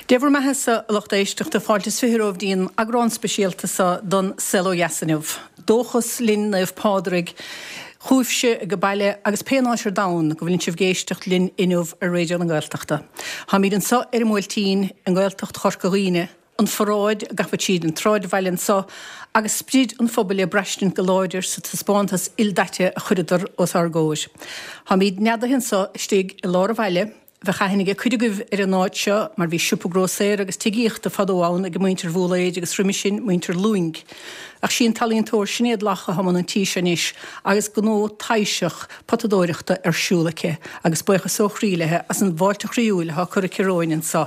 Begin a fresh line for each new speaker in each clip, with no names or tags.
Dé bhur mbeathasa, a lucht éisteachta, fáilte is 20 romhaibh dtí'n eagrán speisialta so don Saol Ó Dheas inniu. Dóchas linn Naomh Pádraig chugaibhse age baile agus pé áit ar domhan go bhfuileann sibh ag éisteacht linn inniu ar Raidió na Gaeltachta. Táimíd anso ar an mBuailtín i nGaeltacht Chorca Dhuibhne, an pharáid ag gabháil tríd an tsráidbhaile anso agus sprid an phobail le braistint go láidir sa taispeántas ildaite a chuireadar os ár gcomhair. Táimíd neadaithe anso istigh i lár an bhaile, Bheadh aithne ag cuid agaibh ar an áit seo mar bhí siopa grósaera agus tithíochta fadó ann ag muintir Bhúlaeid agus roimis sin muintir Lúing. Ach sí an t-ealaíontóir Sinéad Locke atá i mbun an tí seo anois agus gnó taibhseach potadóireachta ar siúl aici agus buíochas ó chroí léi as an bhfáilte chroíúil atá curtha aici romhainn anseo.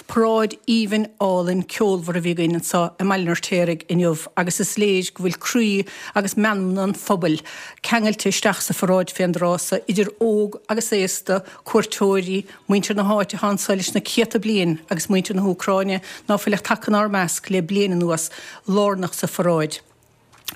Paráid aoibhinn álainn ceolmhar a bhí againn anseo i mBaile an Fheirtéaraigh inniu agus is léir go bhfuil croí agus meanmna an phobail ceangailte isteach sa pharáid fén dtráth so, idir óg agus aosta, cuairteoirí, muintir na háite atá anso leis na céadta bliain agus muintir na hÚcráine ná fuil ach tagtha inár measc le bliain anuas, lárnach sa pharáid.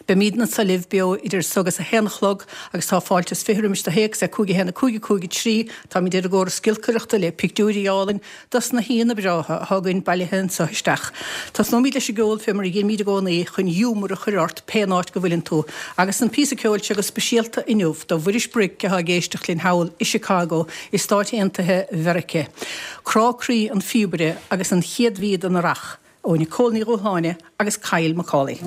Beimídne anso libh beo idir so agus 1 a chlog agus tá fáilte is 20 roimis do théacs ar 5 1 5 5 3. Táimid ar an gcóras giolcaireachta le pictiúirí álainn dos na haíonna breátha atá againn bailithe anso isteach. Tosnóimíd leis an gceol fé mar a dheinimíd i gcónaí chun ghiúmar a chur ort pén áit go bhfuileann tú. Agus an píosa ceoil seo go speisialta inniu do Mhuiris Bric atá ag éisteacht linn thall i Chicago i Stáit Aontaithe Mheirice. Crá Croí an Phíobaire agus an chéad mhí den Earrach. Ó Nicole Ní Dhúshláine agus Kyle Macaulay.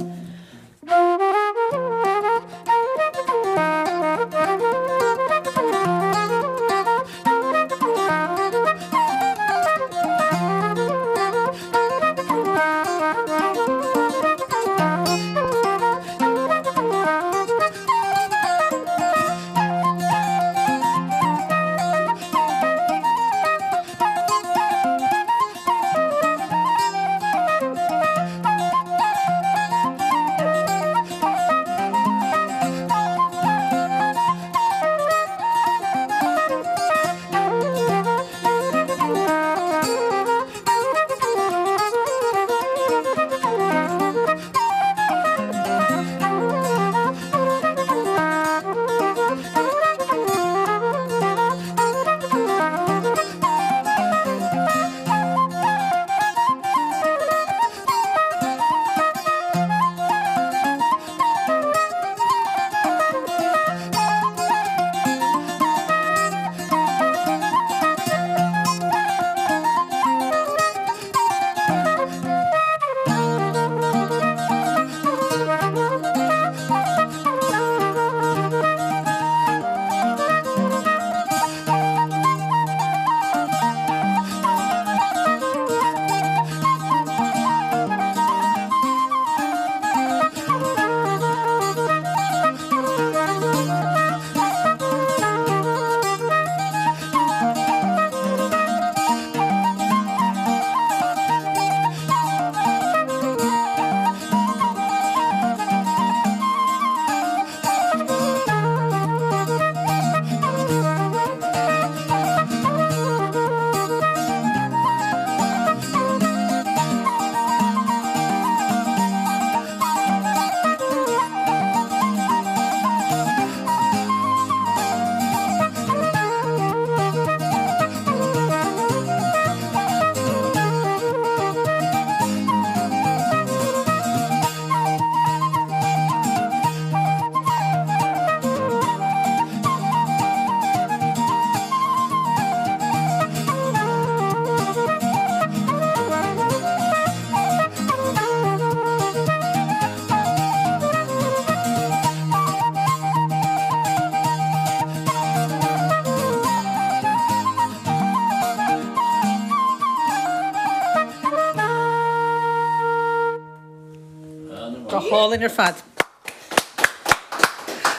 Go hálainn ar fad.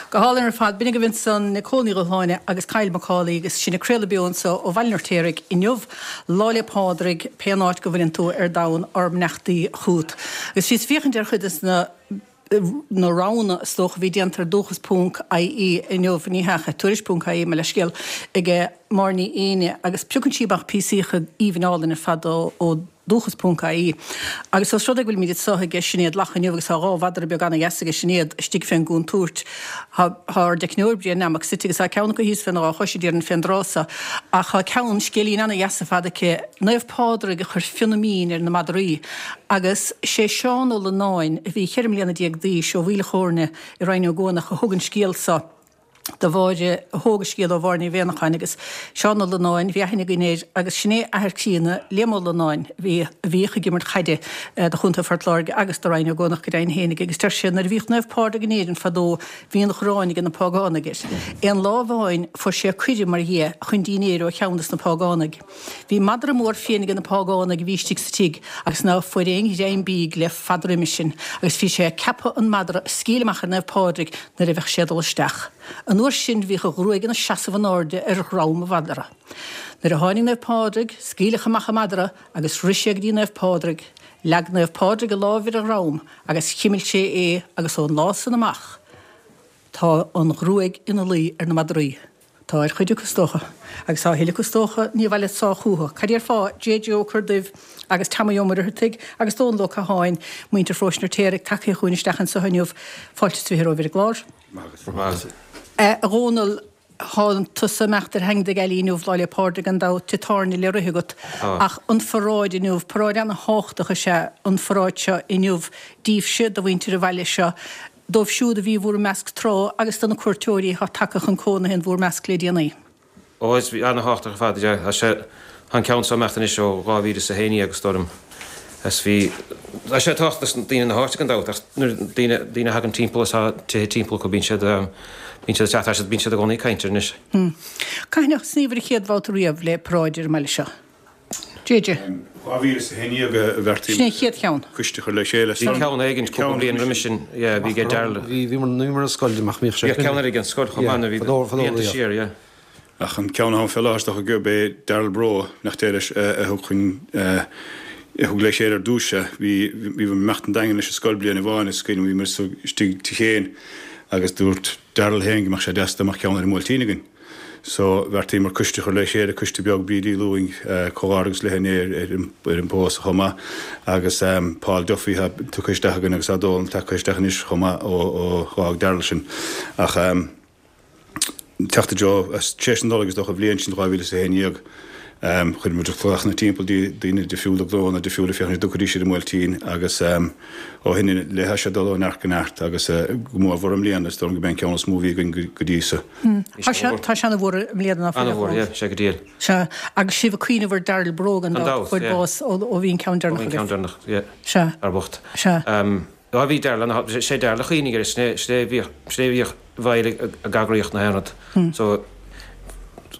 Go hálainn ar fad. B'in agaibh ansan Nicole Ní Dhúshláine agus Kyle Macaulay agus sinn ag craoladh beo anso ó Bhaile an Fheirtéaraigh inniu, Lá 'le Pádraig, pén áit go bhfuileann tú ar domhan, ár mbeannachtaí chút. Agus bhíos ag féachaint ar chuid des na na roghanna is dócha a bhí déanta ar dúchas ponc ie inniu, ní hea, tuairisc ponc ie, mo leithscéal, ag Máire Ní Éinne agus piocann sí amach píosaíocha aoibhinn álainn ar fad ó. Dóchas ponc ie. Agus os rud é go bhfuilimid anso aige Sinéad Lach inniu agus tá 2 mhadra beag ana-dheas aige Sinéad istigh fén gcúntúirt. Tá ár dteicneoir Brian Nammock suite agus tá ceann acu thíos féna dhá chois, déarfainn, fén dtráth so. Ach tá ceann, scéilín ana-dheas ar fad aici, Naomh Pádraig a chuir fionnadh mín ar na madraí. Agus sé Seán Ó Lonáin, a bhí 14 mbliana d'aois, ó Mhaoil a' Chóirne i Rinn Ó gCuanach a thug an scéal so. do Mháire, a thóg an scéal ó Mháire Ní Mhianacháin agus Seán Ó Lonáin, bhí aithne againn air agus sin é athair críonna Liam Ó Lonáin a bhí, a bhíodh ag imirt chaide do Chontae Phort Láirge agus do Rinn Ó gCuanach go deimhin fhéinig agus deir sé nuair a bhíodh Naomh Pádraig in Éirinn fadó bhí an ghráin age na págánaigh air. Aon lá amháin fuair sé cuireadh mar dhea chun dínnéir ó cheann des na págánaigh. Bhí madra mór fiain age na págánaigh a bhí istigh sa tigh agus ná fuair aon ghreim bídh le fada roimis sin agus bhí sé ag ceapadh an madra a scaoileadh amach ar Naomh Pádraig nuair a bheadh sé ag dul isteach. An uair sin bhíodh a ghruaig ina seasamh in airde ar dhrom an mhadra. Nuair a tháinig Naomh Pádraig, scaoileadh amach an madra agus rith sé go dtí Naomh Pádraig. Leag Naomh Pádraig a láimh ar a dhrom agus chimil sé é agus ón lá san amach tá an ghruaig ina luí ar na madraí. Tá ar chuid acu is dócha. Agus tá a thuilleadh acu is dócha, ní abhaile sách chucu. Cad déarfá, JJ Ó Corrduibh agus Teamaí Ó Muircheartaigh agus Dónal Ó Catháin, muintir Pharóiste an Fheirtéaraigh, tagtha chugainn isteach anso inniu. Fáilte is 20 romhaibh ar an gclár.
Maith agat.
A Dhónaill, thánn tusa ag imeacht ar Theainge na Gealaí inniu, Lá 'le Pádraig gan dabht, tithe tábhairne le rith agat.
Tá.
Ach an pharáid inniu, paráid ana-thábhachtach is ea an pharáid seo inniu daoibhse, do mhuintir an bhaile seo. dóibh siúd a bhí i bhúr measc tráth agus do na cuairteoirí atá tagtha chun cónaithe in bhúr measc le déanaí.
Ó, is ana-thábhachtach ar fad é. Tá sé, tá an ceann seo ag imeacht anois ó 2011 is dóigh liom. Is bhí, tá sé tábhachtach do daoine na háite gan dabht ach nuair, daoine, daoine a thagann timpeall is tá tithe timpeall acu bíonn siad, bíonn siad ag teacht, tá siad, bíonn siad i gcónaí ag caint air anois.
Cathain a thosnaíobhair an chéad bhabhta riamh le paráid ar an mbaile seo? JJ.
2011 a bheartaigh
Sin é an chéad cheann.
coiste a chur le chéile.
Bhí ceann éigin cúpla bliain roimis sin, yeah, bhí ag Darrell.
Bhíomar ar scoil amach mbíodh sé.
Bhíodh ceann eile ag an scoil chomh maith nuair a bhí blianta siar, yeah.
Ach an ceann atá ann fé láthair is dócha gurb é Darrell Breaux, nach deir leis, a thug chun, a thug le chéile ar dtús é. Bhí, bhíomar ag imeacht an Daingean leis an scoil bliain amháin is cuimhin liom bhíomar istigh tigh Shéain agus dúirt Darrell féin go mbeadh sé deas dá mbeadh ceann ar an mBuailtín againn. So, bheartaíomar coiste a chur le chéile, coiste beag, Bríd Uí Lúing, comhghairdeachas léi inné ar an bpósadh chomh maith, agus Paul Duffy atá tugtha isteach againn agus tá Dónal tagtha isteach anois chomh maith ó dh'fhág Darrell sinn. Ach teacht i dtreo, tar éis na Nollag is dócha, an bhliain sin, 2011, chuir muid glaochanna timpeall dtí daoine difriúla, gnóanna difriúla féachaint an dtiocfaidís ar an mBuailtín agus ó shin i leith tá sé ag dul ó neart go neart agus go mórmhór i mbliana, is dóigh liom gurb é an ceann is mó a bhí againn go dtí so.
Tá sé, tá sé ana-mhór i mbliana ná fuil, a
Ana-mhór, yeah, sé go diail.
Sea, agus sibh ag cuimhneamh ar Darrell Breaux gan dabht, fuair bás ó bhí an ceann
deireanach agaibh. Ó bhí an ceann deireanach, yeah.
Sea.
Ar bocht.
Sea.
Á bhí Darrell ana, sé Darrell a chuimhnigh air, sin é, sin é a bhíodh, sin é a bhíodh i bhfeighil ag eagraíocht na haon rud. So,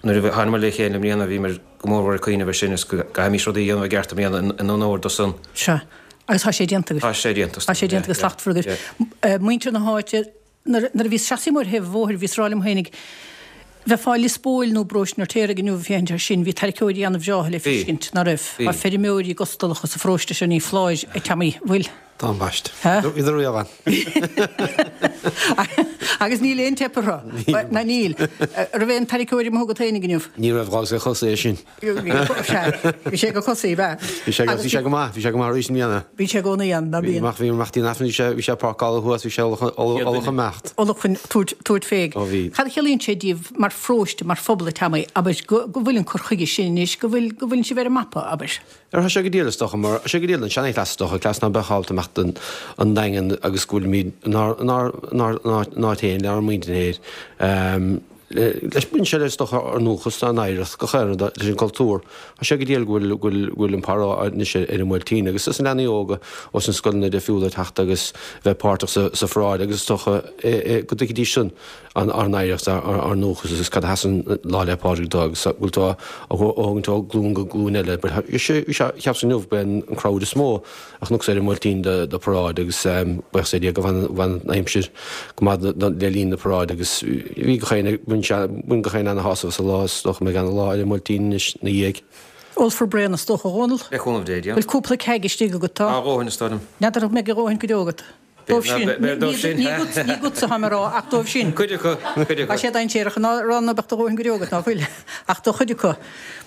nuair a thánamar le chéile i mbliana bhíomar go mórmhór ag cuimhneamh air sin is go gcaithfimis rudaí a dhéanamh i gceart i mbliana in onóir dó san.
Sea. Agus tá sé déanta agaibh.
Tá sé déanta.
Tá sé déanta go slachtmhar agaibh. Muintir na háite, Nuair a bhíos seasaithe amuigh ar thaobh an bhóthair bhíos ag rá liom fhéinig, bheifeá i Lios Póil nó i bparóiste an Fheirtéaraigh inniu ag féachaint air sin, bhí tarraiceoirí ana-bhreátha le feiscint, ná raibh? Tá feirmeoirí gustalacha sa pharóiste seo, ní foláir, a Teamaí, bhfuil?
Tá ambaiste. Bhíodar riamh ann.
Agus níl aon teip orthu. Ná níl. Raibh aon tarraiceoir amuigh agat fhéinig inniu?
Ní raibh, d'fhágas ag Cosaí é sin.
Bhí sé ag Cosaí, ab ea?
Bhí sé, bhí sé go maith, bhí sé go maith arís i mbliana.
Bhí sé i gcónaí ann, ná
bíonn? Bhí, bhí imeachtaí an Aifrinn, bhí sé, bhí sé ag páirceáil thuas, bhí sé ullamh chun imeacht.
Ullamh chun tabhairt, tabhairt fé.
Ó bhí.
Cad a chiallaíonn sé díbh mar pharóiste, mar phobal, a Teamaí, abair, go, go bhfuil an cur chuige sin anois, go bhfuil, go bhfuileann sibh ar an mapa, abair?
Ar tá sé go diail is dócha, mar, tá sé go diail don seanchleas is dócha, cleas ná beadh ábalta imeacht an, an Daingean agus go bhfuilimid inár, inár, inár, inár n-áit féin, lenár muintir féin. Leis, baineann sé le, is dócha, ár ndúchas, ár n-oidhreacht, gach aon rud leis an gcultúr. Tá sé go diail go bhfuil, go bhfuil, go bhfuil an paráid anois ar an mBuailtín agus is na leanaí óga ós na scoileanna difriúla ag teacht agus bheith páirteach sa, sa pharáid agus is dócha go dtuigfidís san an, ár n-oidhreacht, ár, ár ndúchas agus cad a sheasann Lá 'le Pádraig dó agus go bhfuil tú á thógaint ó glúin go glúin eile. But bhí sé, bhí sé, cheapas inniu, b'é an crowd is mó a chonacsa ar an mBuailtín do paráid agus buíochas le Dia go bhfan an aimsir go maith le linn na paráide agus bhí gach éinne, bhain sé, bhain gach éinne ana-shásamh as an lá is dócha go mbeidh ana-lá ar an mBuailtín anois ina dhiaidh.
Ólfar braon is dócha, a Dhónaill?
Le cúnamh Dé,
Bhfuil cúpla ceaig istigh agat?
Tá a dhóthain is dóigh liom.
N'fheadar an mbeidh a dhóthain go deo agat. Dóibh sin. Ní dhotsa atáim a rá, ach dóibh sin.
Cuid acu, cuid acu.
Tá sé dainséarach a rá ná beadh do dhóthain go deo agat, ná fuil? Ach do chuid acu.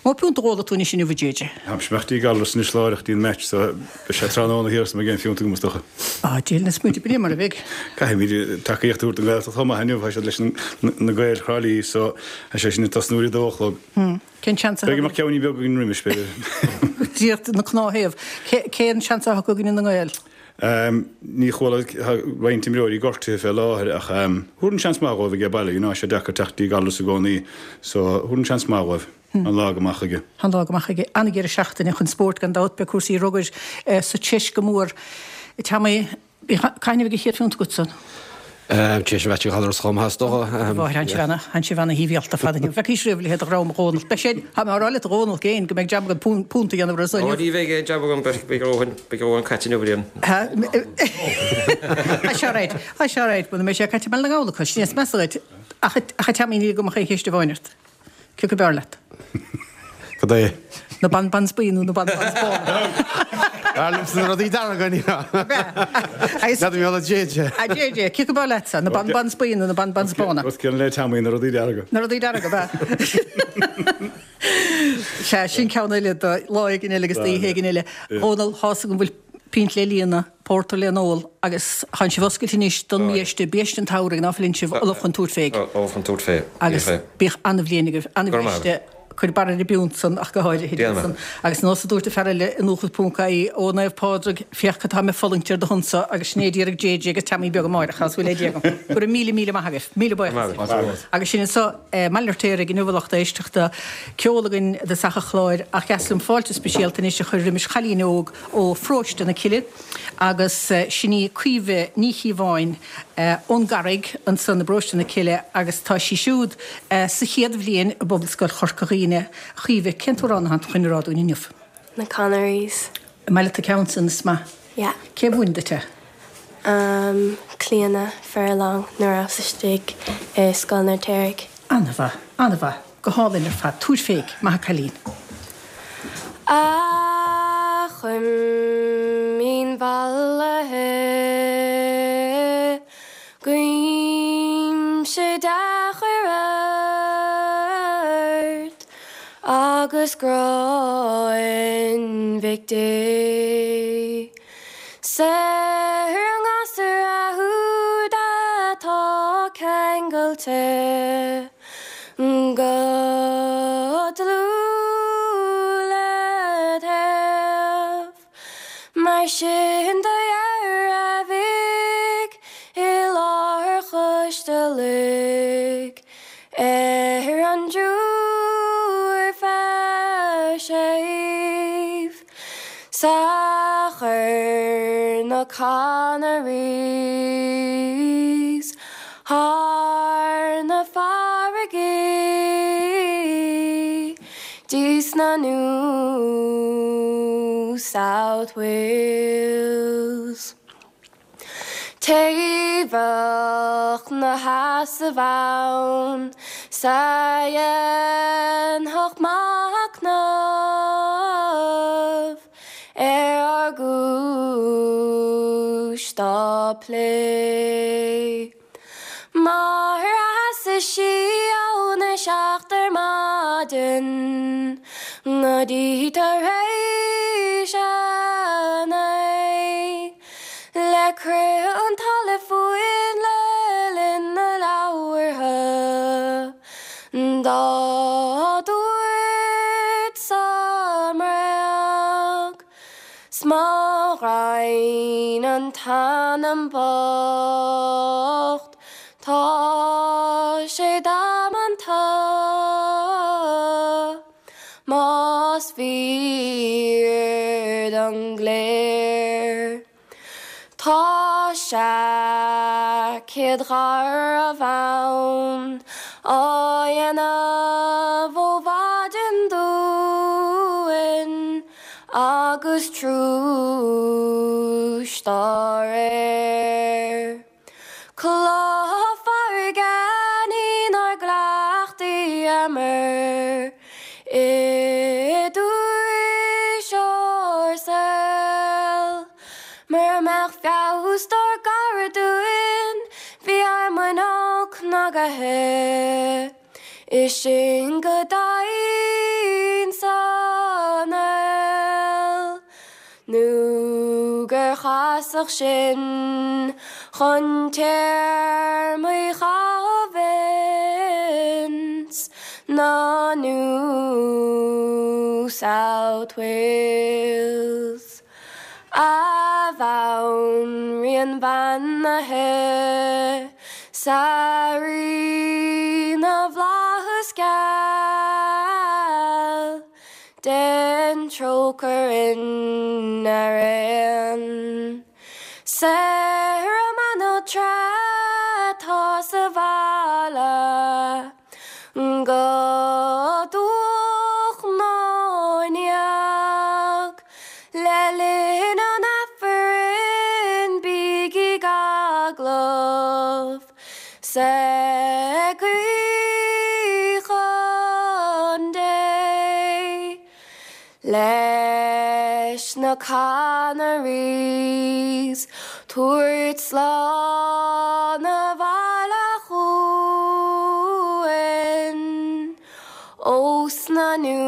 Mó piúnta a dh'ólfaidh tú anois inniu, a JJ?
Táimse ag imeacht dtí Gallarus anois láithreach dtí an match so beidh sé tráthnóna thiar sula mbeidh aon phiúnta agam is dócha.
Á, déan na smaointe, b'in é mar a bheidh.
Caithfimid tacaíocht a thabhairt don Ghaeltacht chomh maith inniu, tá siad leis na Gaeil Thrá Lí so tá sé sin ag tosnú ar a dó a chlog.
Cén seans
atá Beidh go mbeadh ceainnín beag againn roimis, b'fhéidir.
Díreach na cnámh. Cén seans atá acu i gcoinne na nGael?
Ní chuala, tá roinnt imreoirí gortaithe fé láthair ach thabharfainn seans maith dhóibh aige baile, you know, tá sé deacair teacht dtí Gallarus i gcónaí so thabharfainn seans maith dhóibh an lá go maith chuige.
An lá go maith chuige. An-dheireadh seachtaine chun spóirt gan dabht, beidh cúrsaí rugair sa treis go mór. Tommy, Cathain a bheidh an chéad phiúnt agatsa?
Tar éis an mheaits ag Gallarus chomh maith is dócha.
Mháthair, tánn sibh ana, tánn sibh ana shuibhialta ar fad inniu. Bhfeicís riamh a leithéid de dhream, a Dhónaill. Beidh sé, tá mé á rá leat a Dhónaill féin go mbeidh jab agat púnt a dhéanamh orthu
inniu. Ó ní bheidh aon jab agam, beidh a dhóthain, beidh a dhóthain caite inniu ar aon.
Tá sé alright, tá sé alright, muna mbeidh sé caite i mBaile na nGall acu, sin é is measa dhuit. Ach, ach a Tommy níl agam ach aon cheist amháin ort. Cé acu b'fhearr leat?
Cad é?
Na bonbons buí nó na bonbons bána?
B'fhearr liomsa na rudaí dearga, ní hea? N'fheadar mé le JJ.
A JJ, cé acu b'fhearr leatsa, na bonbons buí nó na bonbons bána?
Rud céanna le Tommy, na rudaí dearga.
Na rudaí dearga, ab ea? Sea, sin ceann eile do lá éigin eile agus d'oíche éigin eile. Dhónall, tá's agam go bhfuil pínt le líonadh, pórtar le n-ól agus tánn sibh oscailte anois don mbiaiste, biaiste an tsamhraidh, ná fuileann sibh ullamh chun tabhairt fé.
Ullamh chun tabhairt fé.
Agus bíodh an-bhliain agaibh, an-bhiaiste, cuir barra ar an bpiúnt san ach go háirithe,
Déanfaidh mé.
Agus nós a dúirt an fear eile i ndúchas.ie, Ó Naomh Pádraig, féach cad tá mé ag fulaingt ar do shonsa agus sin é a d'iarraidh JJ agus Teamaí beag amáireach, tá súil le Dia agam. Go raibh míle míle maith agaibh. Míle buíochas. Agus sin anso i mBaile an Fheirtéaraigh inniu a lucht éisteachta, ceol againn i dtosach an chláir ach dheas liom fáilte speisialta anois a chur roimis chailín óg ó Pharóiste na Cille agus sin í Caoimhe Ní Chíobháin ón gCarraig ansan i bParóiste na Cille agus tá sí siúd sa chéad bhliain i bPobalscoil Chorca Dhuibhne. A Chaoimhe, cén t-amhrán atá tú chun a rá dúinn inniu?
Na Connerys.
An maith leat an ceann san? Is maith.
Yeah.
Cé a mhúin duit é?
Um, Clíona Furlong nuair a rabhas istigh i Scoil an Fheirtéaraigh.
An-mhaith, an-mhaith. Go hálainn ar fad. Tabhair féig. Maith a' cailín.
A Chuimín mhallaithe, guímse dea-chuireadh ort agus grá an Mhic Dé. Saor ón ngasúr úd atá ceangailte. Go dlúth led thaobh. Mar sin do dhearbhaigh i láthair choiste uilig ar an dtriúr fear séimh 's a chuir na Connerys thar na farraigí dtí sna New South Wales. Té bheadh 'na sheasamh ann 's a dhéanfadh machnamh ar ár gcúis dá plé. Mar sheasadh sí óna seacht ar maidin go dtí tar éis a naoi le crith an talaimh fúinn le linn na labhartha dá dúirt sa mbréag. 'S mo ghraidhin an t-anam bocht tá sé damanta más fíor don gcléir. Tá seaicéad gharbh ann á dhéanamh ó mhaidin dúinn agus trúis dá réir. Cloch farraige ní nár gcleachtaíomar i dtús ár saoil. Mura mbeadh feabhas dár gcarachtar. breithe Is sinn go domhain san fheoil Nó gur chasadh sinn chun téarmaí chaitheamh ins na New South Wales. A Bhanríon bheannaithe 's a Rí na bhFlaitheas geal, Dein trócaire orainn araon. 'S ar an mbanaltra atá sa bhaile go dubhach ná neach le linn an Aifrinn bígí ag agallamh 's ag guí chun Dé leis na Canaries tabhairt slán abhaile chugainn. Ós na New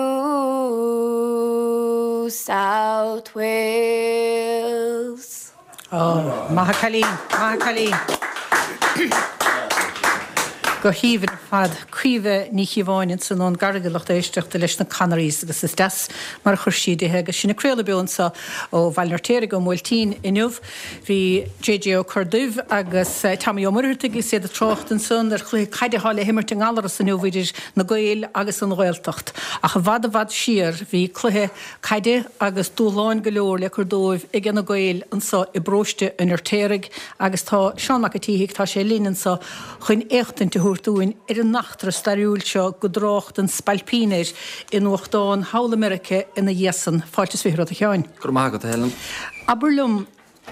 South Wales.
Ó, maith a chailín, maith a chailín. Go haoibhinn ar fad. Caoimhe Ní Chíobháin ansan ón gCarraig a lucht éisteachta leis na Canaries agus is deas mar a chuir sí di agus sinn ag craoladh beo anso ó Bhaile an Fheirtéaraigh ón mBuailtín inniu. Bhí JJ Ó Corrduibh agus Tommy Ó Muircheartaigh agus iad ag trácht ansan ar chluiche caide atá le himirt i nGallaras inniu idir na Gaeil agus an Ghaeltacht. Ach i bhfad i bhfad siar bhí cluiche caide agus dúshláin go leor le cur dóibh aige na Gaeil anso i bparóiste an Fheirtéaraigh agus tá Seán Mac a' tSíthigh, tá sé linn anso chun éachtaint a thabhairt dúinn ar an eachtra stairiúil seo go dtrácht an Spailpín air i nuachtán thall i Meirice ina dhiaidh san. Fáilte is 20 romhat a Sheáin.
Go raibh maith agat, a Helen.
Abair liom,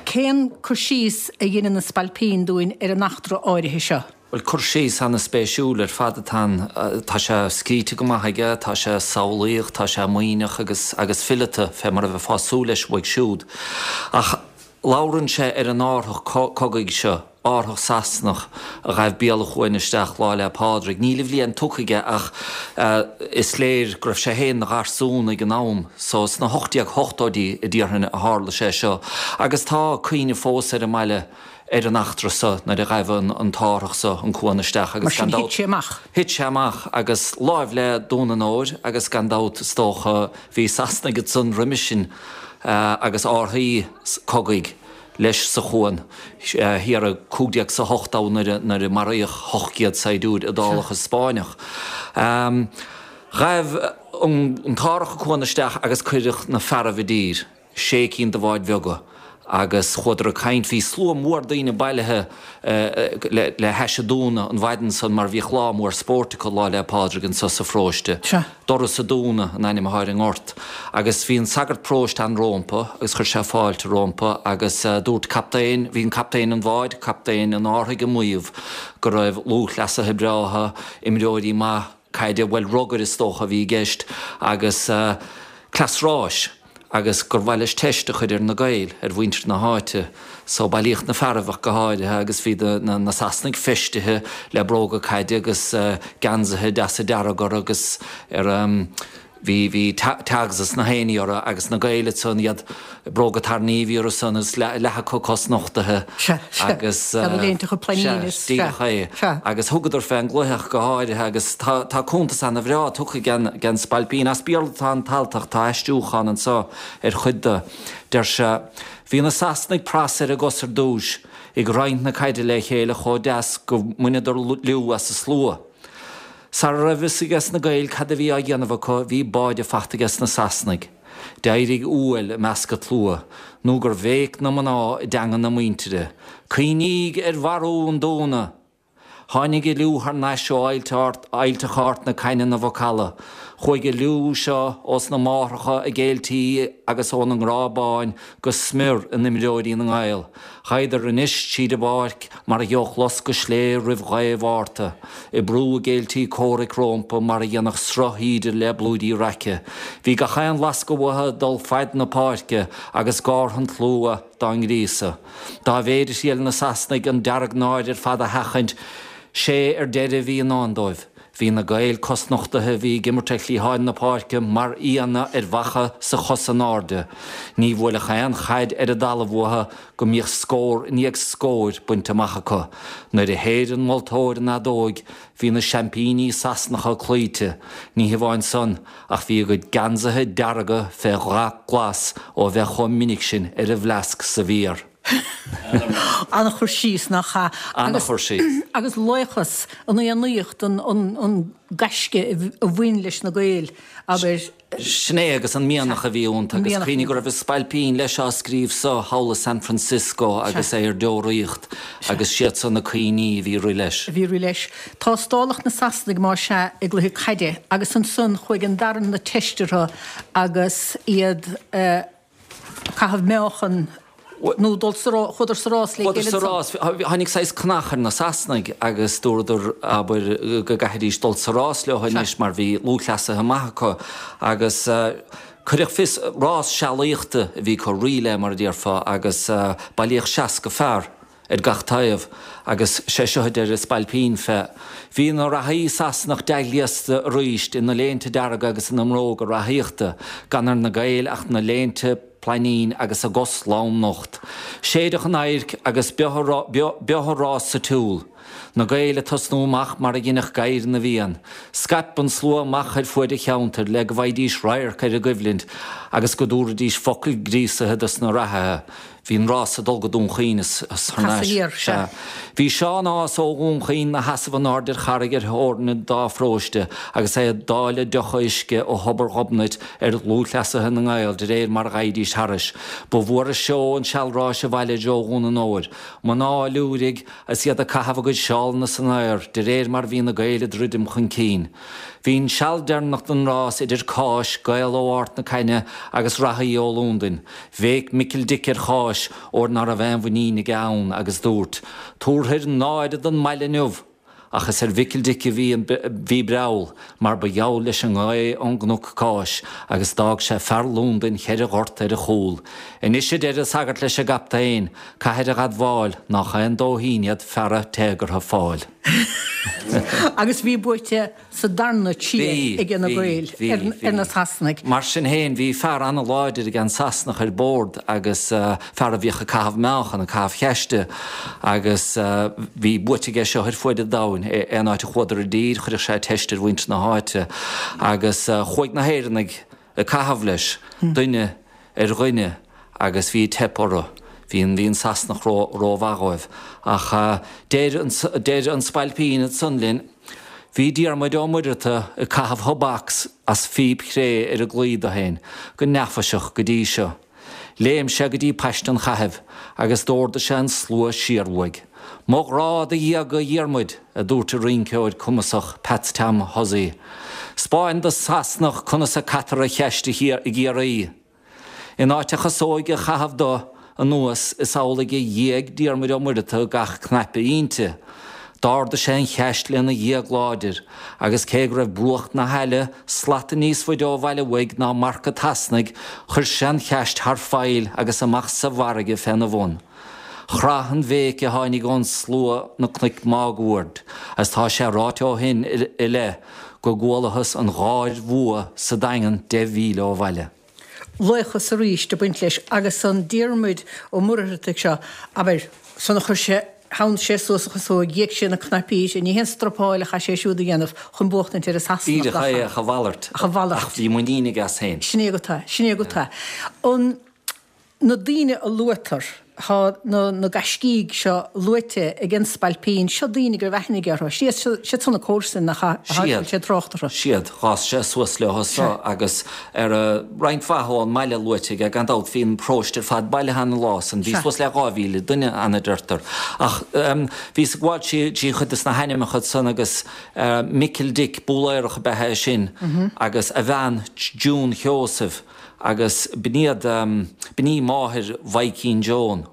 cén cur síos a dheineann an Spailpín dúinn ar an eachtra áirithe seo?
Bhuel, cur síos ana-spéisiúil ar fad atá ann. Tá sé scríte go maith aige, tá sé samhlaíoch, tá sé maoithneach agus agus fileata, fé mar a bheifeá ag súil leis uaidh siúd. Ach labhrann sé ar an árthach cogaidh seo, árthach Sasanach a ghaibh béal an chuain isteach Lá 'le Pádraig. Níl a bhliain tugtha aige ach is léir go raibh sé féin 'na gharsún ag an am so. Sna 1880idí a déarfainn a tharla sé seo agus tá cuimhne fós ar an mbaile ar an eachtra so nuair a ghaibh an t-árthach so an cuan isteach
agus gan dabht. Mar sin thit sé amach.
Thit sé amach agus láimh le Dún an Óir agus gan dabht is dócha bhí Sasanaigh ansan roimis sin agus árthaí cogaidh. leis sa chuan thiar i 1508 nuair a maraíodh 800 saighdiúir Iodálach is Spáinneach. Ghaibh an t-árthach an cuan isteach agus cuireadh na fearaibh i dtír, sé cinn de bháid bheaga, agus chuadar ag caint. Bhí slua mór daoine bailithe le hais an dúna an mhaidin san mar bhíodh lá mór spóirt acu Lá 'le Pádraig anso sa pharóiste. Doras a' Dúna an ainm athá ar an ngort. Agus bhí an sagart paróiste ann rómpa agus chuir sé fáilte rómpa agus dúirt captaen, bhí an captaen an bháid, captaen an árthaigh ag maíomh go raibh lúthchleasaithe breátha, imreoirí maith caide, bhuel rugair is dócha a bhí i gceist agus cleas ráis. agus gur mhaith leis teist a chur ar na Gaeil, ar mhuintir na háite. So bailíodh na fearaibh ach go háirithe agus bhí na Sasanaigh feistithe le bróga caide agus geansaithe deasa dearg orthu agus ar bhí bhí tags is na héinní orthu agus na Gaeil ansan iad bróga tairní a bhí orthu san agus leath acu cosnochtaithe
agus sea
díreach é agus thugadar fé an gcluiche ach go háirithe agus tá tá cuntas ana bhreá tugtha ag an Spailpín. As Béarla atá an t-alt ach tá aistriúchán anso ar chuid de. Deir sé, Bhí na Sasanaigh pras ar a gcos ar dtúis, ag roinnt na caide le chéile chomh deas go mbaineadar liú as an slua. Sara raibh fhios aige na Gaeil cad a bhí á dhéanamh acu bhí báide fachta aige na Sasanaigh. D'éirigh uaill i measc an tslua, nó gur bhéic na mná i dteanga na muintire, Cuimhníg ar mharú an Dúna! Tháinig an liú thar n-ais ó aillte Chárt na Cainne 'na mhacalla. Chuaigh an liú seo ós na máithreacha a gcéiltí agus óna ngrá báin go smior in imreoirí na nGael. Ghabhadar anois tríd an bpáirc mar a gheobhadh loscadh slé roimh ghaoth Mhárta, ag brú a gcéiltí comhraic rómpa mar a dhéanfadh sruth thaoide le blúirí raice. Bhí gach aon lascadh uathu ag dul faid na páirce agus gártha an tslua dá ngríosadh. Dá mhéid a thriail na Sasanaigh an deargnáire ar fad a sheachaint. Sé ar deireadh a bhí i ndán dóibh. Bhí na Gaeil cosnochtaithe a bhí ag imirt ar chliatháin na páirce mar fhianna ar bhacha 's a chosa in airde. Ní bhuailfeadh aon chaid ar an dtalamh uathu go mbíodh scór i ndiaidh scóir bainte amach acu. Nuair a shéid an moltóir an fheadóig bhí na seaimpíní Sasanacha cloíte. Ní hamháin san ach bhí a gcuid geansaithe dearga fé dhath glas ó bheith chomh minic sin ar an bhfleasc sa bhfíor.
An-chur síos, nach ea?
An-chur síos.
Agus laochas, an fhiannaíocht, an gaisce a bhain leis na Gaeil, abair.
Sin é, agus an mianach a bhí iontu. Agus cuimhnigh go raibh an spailpín leis á scríobh so thall i San Francisco agus é ar deoraíocht agus siad so na cuimhní a bhí ag rith leis.
A bhí ag rith leis. Tástálach na Sasanaigh más ea i gcluiche caide agus ansan chuaigh an darna teist orthu agus iad caitheamh meáchan nó dul sa rás, chuadar sa rás le
chéile
ansan.
Chuadar sa rás, tháinig saghas cnach ar na Sasanaigh agus dúradar, abair, go gcaithfidís dul sa rás leo anois mar bhí lúthchleasaithe maith acu agus cuireadh fios, rás sealaíochta a bhí acu, relay mar a déarfá, agus bailíodh 60 fear. ar gach taobh, agus sé seo a deir an spailpín fé. Bhí na reathaí Sasanach dea-ghléasta aríst ina léinte dearga agus ina mbróga reathaíochta, gan ar na Gaeil ach na léinte plainín agus a gcos lom-nocht. Séideadh an adhairc agus b'eo an rás sa tsiúl. Na Gaeil ag tosnú amach mar a dheinfeadh gadhair na bhFiann. Scaip an slua amach ar fuaid an cheantair le go bhfaighidís radharc ar an gcoimhlint agus go dtabharfaidís focal gríosaithe dos na reathaithe. Bhí an rás ag dul go Dún Chaoin is thar n-ais. Sea. Bhí Seán Ághas ó Dhún Chaoin 'na sheasamh in airde ar charraig ar theorainn an dá pharóiste agus é ag dáileadh deocha uisce ó thobar Ghobnait ar lúthchleasaithe na nGael de réir mar a ghabhaidís thairis. Ba mhór an seó an sealráis abhaile i dtreo Dhún an Óir. Mná ag liúirigh is iad ag caitheamh a gcuid seálanna san aer de réir mar a bhí na Gaeil ag druidim chun cinn. Bhí an seal deireanach den rás idir Cáis, Gael ó Ard na Caithne agus reathaí ó Lúndain. Bhéic Micil Dic ar Cháis óir ná raibh aon mhuinín aige ann agus dúirt, Tabharfair náire don mbaile inniu! Ach is ar Mhicil Dic a bhí an bhí breall, mar ba gheall leis an ngaoth ón gcnoc Cáis agus d'fhág sé fear Lúndain cheithre ghort ar a chúl. Anois a deir an sagart leis an gcaptaen, caithfir a dh'admháil nách aon dóithín iad feara téagartha Fáil.
Agus bhí buaite sa darna triail ag na Gaeil ar na Sasanaigh.
Mar sin féin, bhí fear an-láidir ag an Sasanach ar bord agus fear a bhíodh ag caitheamh meáchan, ag caitheamh cheiste agus bhí buaite aige seo ar fuaid an domhain. Aon áit a chuadar i dtír, chuireadh sé teist ar mhuintir na háite agus chuaigh na hÉireannaigh ag caitheamh leis, duine ar dhuine agus bhí ag teip orthu. Bhí an, bhí an Sasanach ró, rómhaith dhóibh. Ach deir an, deir an spailpín ansan linn, Bhí Diarmuid Ó Muireartaigh ag caitheamh thobacs as phíp chré ar an gclaí do féin go neafaiseach go dtí seo. Léim sé go dtí paiste an chaithimh agus d'órdaigh sé an slua siar uaidh. Mo ghrá do ghéaga a Dhiarmuid, a dúirt an rinceoir cumasach Peats Tom Hussey. 'Spáin don Sasanach conas a caitear an cheist i gCiarraí. In áit a chasóige a chaitheamh do anuas is amhlaidh a ghéag Diarmuid Ó Muireartaigh gach cnaipe inti. D'ardaigh sé an cheist lena ghéag láidir, agus cé go raibh bruach na haille slata níos faide ó bhaile uaidh ná marca an tSasanaigh, chuir sé an cheist thar faill agus amach sa bhfarraige féna bhun. Chraith an bhéic a tháinig ón slua na cnoic máguaird, agus tá sé ráite ó shin i leith go gcualathas an gháir bhua sa Daingean 10 mhíle ó bhaile.
Laochas arís ag baint leis agus an Diarmuid Ó Muircheartaigh seo, abair, san a chuir sé, theann sé suas a chasóig, ghéag sé na cnaipí sin, ní haon struppáil a chaith sé siúd a dhéanamh chun buachtaint ar an Sasanach,
Díreach é, ach a mhalairt.
Ach a mhalairt.
Ach bhí muinín aige as féin.
Sin é agat é, sin é agat é. An. Na daoine a luaitear, tá na na gaiscígh seo luaite ag an spailpín, seo daoine go raibh aithne aige orthu, siad siad san na comharsain nach ea, a bhfuil sé ag trácht
orthu. Siad, dh'fhás sé suas leo so agus ar a roinnt mhaith ón mbaile luaite aige, gan dabht bhí an paróiste ar fad bailithe an lá san, bhí suas le 2,000 duine ann a deirtear. Ach bhíos ag gabháil trí chuid de na hainmneacha san agus Micil Dic, Búlaerach ab ea é sin agus a bhean June Sheosaimh, Agus b'in iad, b'in í máthair Mhaidhcín Joan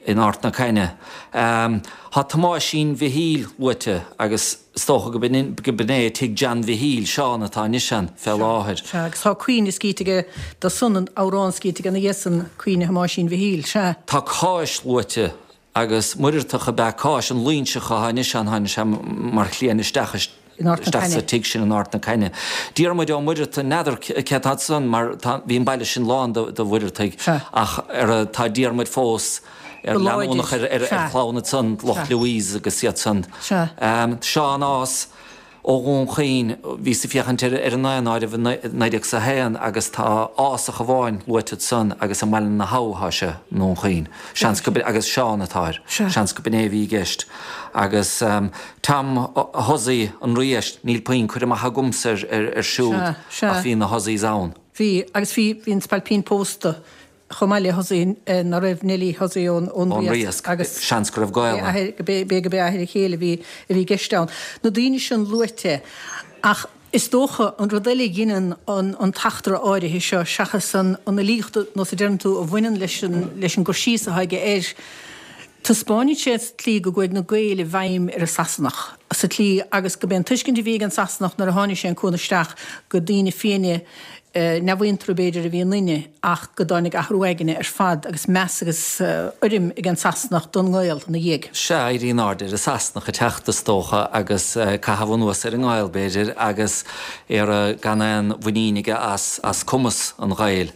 in Ard na Caithne. Tá Tomáisín Mhichíl luaite agus is dócha go b'in é tigh John Mhichíl, Seán atá anois ann fé láthair.
Sea, agus tá caoineadh scríte aige do san, amhrán scríte aige ina dhiaidh san, Caoineadh Thomáisín Mhichíl, sea.
Tá Cáis luaite. Agus Muireartach ab ea Cáis, an Loingseach atá anois ann, tháinig sé mar chliaint isteach isteach sa tigh sin in Ard na Caithne. Diarmuid Ó Muireartaigh, n'fheadar cé atá ansan mar tá, bhí an baile sin lán de de Mhuireartaigh ach ar tá Diarmuid fós ar leanúnach ar ar chlann ansan, lucht Louise agus iad san. Seán Ághas. Ó Dhún Chaoin, bhíos ag féachaint ar an ndaonáireamh i 1901 agus tá Ásach amháin luaite ansan agus i mBaile na hAbha atá sé, i nDún Chaoin. Seans go, agus Seán atá air. Seans go b'in é a bhí i gceist. Agus Tom Hussey an Riaisc, níl puinn cur amach agamsa air siúd ach bhí na Husseys ann.
Bhí, agus bhí, bhí an Spailpín pósta. chomh maith le Hussey, ná raibh Nellie Hussey ón Riasc agus
seans go raibh gaol
ann. B'fhéidir gurb é athair a chéile a bhí a bhí i gceist ann. Na daoine sin luaite ach is dócha an rud eile a ghineann an an t-eachtra áirithe seo seachas an an fhilíocht nós a deireann tú a bhaineann leis an leis an gcur síos atá aige air, taispeánann sé sa tslí go gcuaigh na Gaeil i bhfeidhm ar an Sasanach sa tslí agus go b'é an tuiscint a bhí ag an Sasanach nuair a tháinig sé an cuan isteach go daoine fiaine neamhaontra b'fhéidir a bhí ionainne ach go dtáinig athrú aigne ar fad agus meas agus urraim ag an Sasanach don nGael ina dhiaidh.
Sea, éirí in airde ar an Sasanach ag teacht is dócha agus caitheamh anuas ar an nGael b'fhéidir agus é gan aon mhuinín aige as cumas an Ghaeil.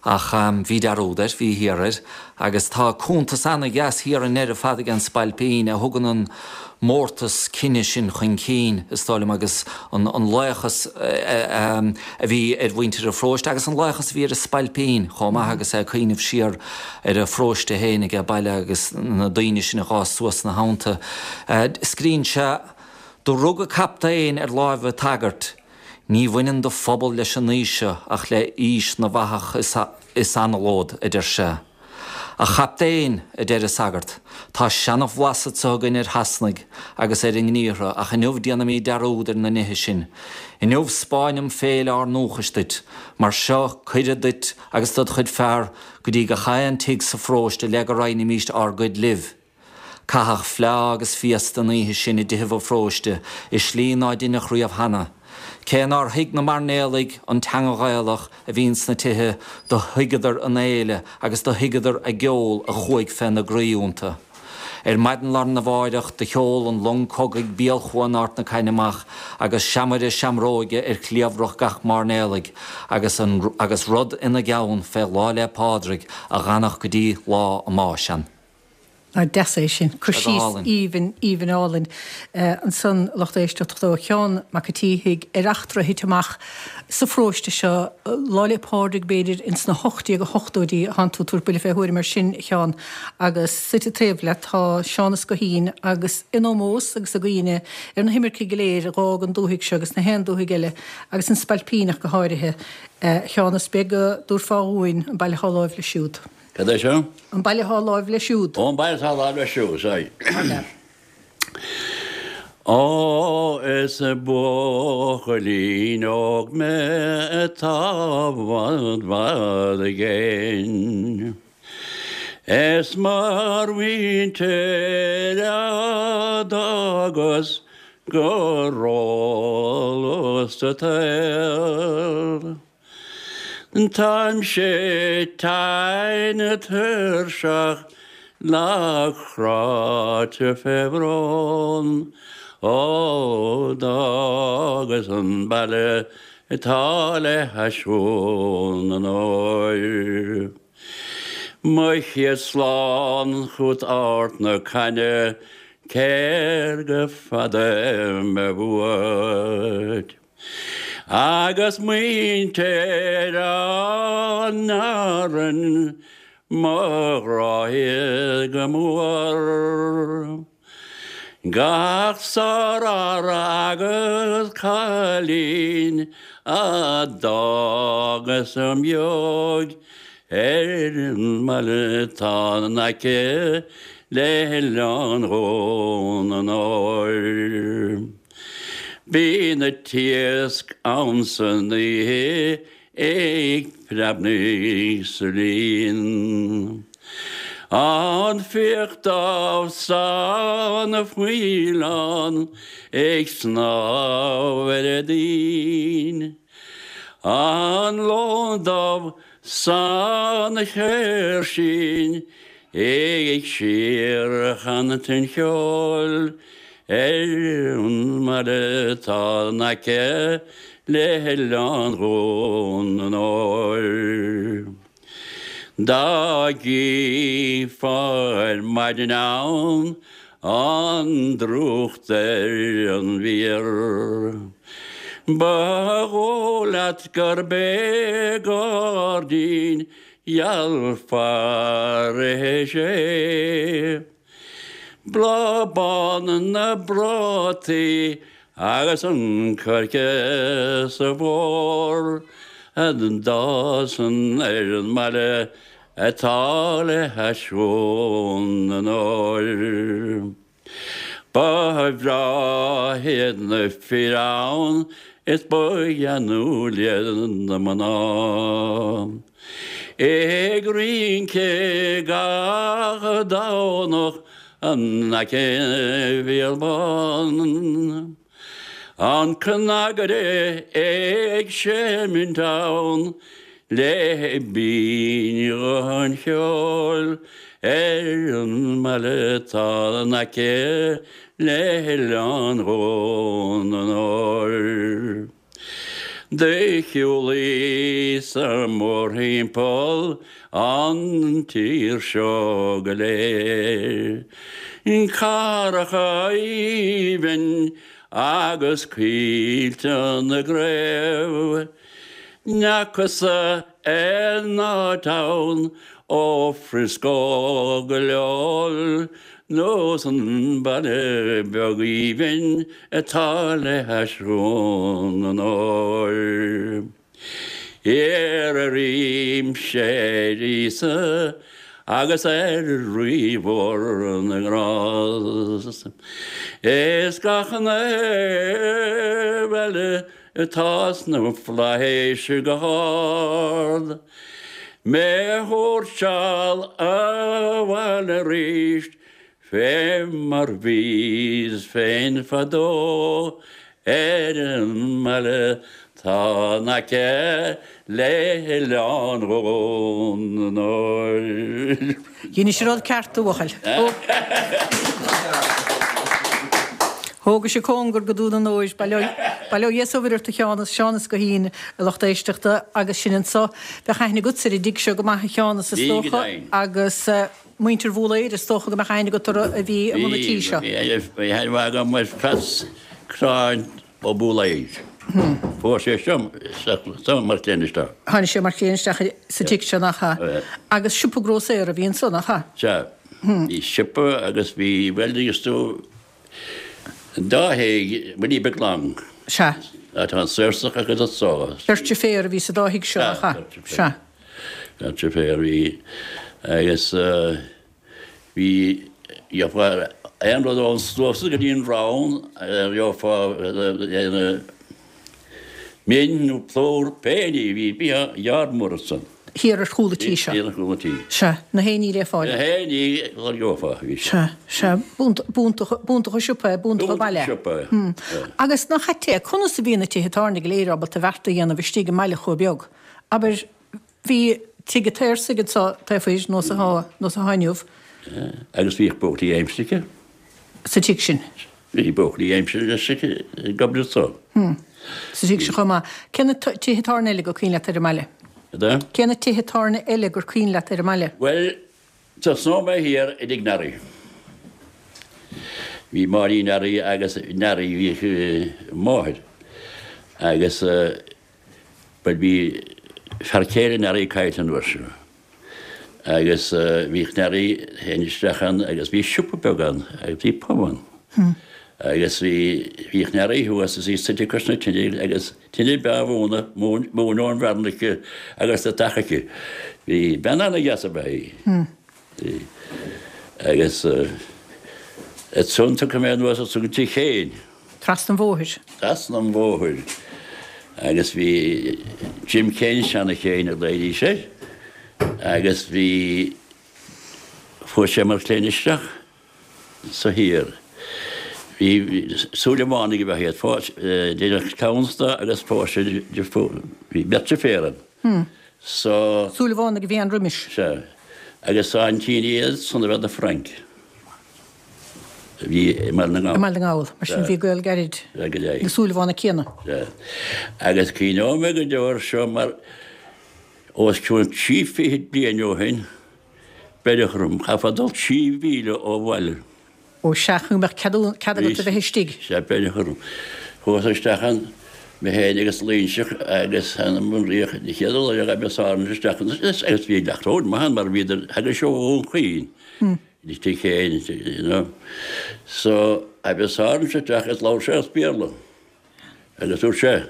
Ach bhí dearúd air, bhí thiar air. Agus tá cuntas ana-dheas thiar i ndeireadh fad ag an Spailpín a thugann an mórtas cine sin chun cinn, is dóigh liom, agus an laochas a bhí ar mhuintir an pharóiste agus an laochas a bhí ar an Spailpín chomh maith agus é ag cuimhneamh siar ar a pharóiste féin aige baile agus na daoine sin a dh'fhás suas ina theannta. Scríonn sé, Do rugadh captaen ar láimh an tsagairt. Ní bhaineann do phobal leis an aois seo ach le haois na bhfathach is anallód, a deir sé. A chaptaein, a deir an sagart, tá seanabhlas anso againn ar Shasanaigh agus ar a ngníortha ach inniu déanaimíd dearúd ar na nithe sin. Inniu 'spáinim féile ár ndúchais duit. Mar seo cuireadh duit agus dod chuid fear go dtí gach aon tigh sa pharóiste le go roinnimíst ár gcuid libh. Caitheadh fleá agus féasta an oíche sin i dtithibh an pharóiste i slí ná deineadh riamh cheana. Cé nár thuig na mairnéalaigh an teanga Ghaelach a bhí ins na tithe, do thuigeadar an fhéile agus do thuigeadar a gceol a chuaigh fé na gcroí iontu. Ar maidin lá arna mháireach do sheol an long cogaidh bial-chuan Ard na Caithne amach agus seamaire seamróige ar chliabhrach gach mairnéalaigh agus an agus rud ina gceann fé Lá 'le Pádraig a dh'fhanfadh go dtí lá a mbáis ann.
Nach deas é sin. Cur síos aoibhinn, aoibhinn álainn ansan, a lucht éisteachta, ó Sheán Mac an tSíthigh ar eachtra a thit amach sa pharóiste seo Lá 'le Pádraig, b'fhéidir, ins na 1880idí a thánn tú ag tabhairt buille fé thuairim air sin, a Sheáin, agus suite taobh leat tá Seánas Guithín agus in ómós agus i gcuimhne ar na himircigh go léir a dh'fhág an dúthaigh seo agus na haon dúthaigh eile agus an Spailpíneach go háirithe, a Sheáin, is beag go dtabharfá dhúinn an baile atá láimh leis siúd.
Cad é seo?
An baile atá láimh leis siúd.
Ó, an baile atá láimh leis siúd, sea. Ó, is buachaillín óg mé atá i bhfad bhfad i gcéin. Is mar mhuintir a d'fhágas go róluath sa tsaol. Táimse tinn tuirseach lag cráite fé bhrón ó d'fhágas an baile atá le hais Chuan an Óir. Mo chéad slán chút Ard na Caithne céard go fada mé uait. Agus muintir an Árainn mo ghráigh go mór. Gach sár fhear agus cailín a d'fhágas i mbeag ar an mbaile atá in aice le hOileán Dhún an Óir. Bhí na t-iasc ann san oíche ag preabnaigh sa líon. An fiach dubh 's an faoileán ag snámh ar an dtoinn. An lon dubh 's an chéirsín. Ag síorchantain cheoil ar an mbaile atá in aice le hOileán Dhún an Óir. Dá gcífeá ar maidin ann an drúcht ar an bhféar, ba dhóigh leat gurb é gairdín gheal Pharis é. Bláth bán na bprátaí agus an coirce sa bhfómhar a d'fhásann ar an mbaile atá le hais Dhún an Óir. Ba bhreá iad na fir ann is ba gheanúil iad na mná. Ag rince gach Domhnach in aice na bhfial bán. An cnagaire ag seimint ann le binn-ghuth an cheoil ar an mbaile atá in aice le hOileán Dhún an Óir. Do shiúlaíos-sa mórthimpeall an tír seo go léir, cathracha aoibhinn agus coillte na gcraobh, N'fheacas-sa aon áit ann ó Frisco go Lowell nós an baile beag aoibhinn atá le hais Dhún an Óir. Iarraimse ar Íosa agus ar Rí mhór na nGrást is gach naomh eile atá sna flaithis go hard, mé a thabhairt seal abhaile arís fé mar bhíos féin fadó ar an mbaile 'tá in aice le hOileán Dhún an
Óir. Dheinis an rud ceart, a bhuachaill. Thógais an cóngar go Dún an Óir. Bail ó Dhia 's ó Mhuire ort a Sheánas, Seánas Guithín, a lucht éisteachta, agus sin anso. Bheadh aithne agatsa ar an dtigh seo go maith, a Sheánas, is dócha, agus muintir Bhúlaeir, is dócha go mbeadh aithne agat orthu a bhí i mbun an tí seo.
Bhí, bhí aithne mhaith agam ar Pheats Cráin Ó Búlaeir. Fuair sé seo mar chliant isteach.
Tháinig sé mar chliant isteach sa tigh seo, nach ea? Agus siopa grósaera a bhí anso, nach ea?
Sea. Bhí siopa agus bhí, bhuel, is tú, an dá thigh, Willie Big Long.
Sea.
Tá an Saorsach agus an Só.
Beirt deirféar a bhí sa dá thigh seo, nach ea?
Sea. Beirt deirféar a bhí agus. Bhí, gheofá aon rud ón suas go dtí an rann, gheofá min nó plúr, pé ní, bhí bia yard mór ansan.
Thiar ar chúl an tí seo.
Thiar ar chúl an tí.
Sea, na haon ní le fáil.
Na haon ní a gheofá, bhí.
Sea, sea, b'iontach, b'iontach an siopa é, b'iontach an baile é.
B'iontach an siopa
é. Agus nach ait é, conas a bhí na tithe tábhairne go léir ábalta beart a dhéanamh istigh i mbaile chomh beag? Abair, Bhí tigh an tSaorsaigh anso taobh thoir, nós atá, nós atá inniu.
Agus bhíodh buachaillí aimsire aici.
Sa tigh sin.
Bhí buachaillí aimsire aici ag obair anso.
Sa tigh sin chomh maith. Cé na tithe tábhairne eile gur cuimhin leat ar an mbaile?
Cad
Cé na tithe tábhairne eile gur cuimhin leat ar an mbaile?
Bhuel, tosnóidh mé thiar i dtigh Nearaí. Bhí Máirín Nearaí agus Nearaí bhíodh máthair agus Bhuel bhí fear céile Nearaí caillte an uair seo agus bhíodh Nearaí féin isteach ann agus bhí siopa beag ann agus bhí pub ann agus bhí bhíodh Nearaí thuas is í suite cois na tine agus tine breá mhóna, móin ón bhfearann aici agus deatach aici. Bhí bean ana-dheas ab ea í. Bhí. Agus ansan tiocfaidh mé anuas ansan go tigh Chéin.
Trasna an bhóthair.
Trasna an bhóthair. Agus bhí Jim Céin, Seán Chéin a ghlaoidís air, agus bhí, fuair sé mar chliant isteach sa thiar. Bhí Súilleabhánaigh ab ea iad, deineadh clann de agus phós sé, bhí beirt deirféar ann.
So. Súilleabhánaigh a bhí ann roimis.
Sea. Agus aintín iad san ab ea do Frank a bhí i mBaile na
nGall. I mBaile na nGall. Mar sin bhí gaol gairid.
Sea, go deimhin.
Na Súilleabhánaigh céanna.
Sea. Agus cuimhneoidh mé go deo air seo mar os cionn trí fichid bliain ó shin beireadh orm, chaithfeá dul 3 mhíle ó bhaile.
Ó sea, chun go mbeadh cead agat a bheith istigh.
Sea, beireadh orm. Chuas isteach ann, mé féin agus Loingseach agus th'anam 'on Ríoch, an chéad lá a ghabh Sáirséal isteach ann agus bhí leacht maith ann mar bhíodar, thagadh sé ó Dhún Chaoin, istigh féin, you know. So, ghabh Sáirséal isteach agus labhair sé as Béarla agus dúirt sé,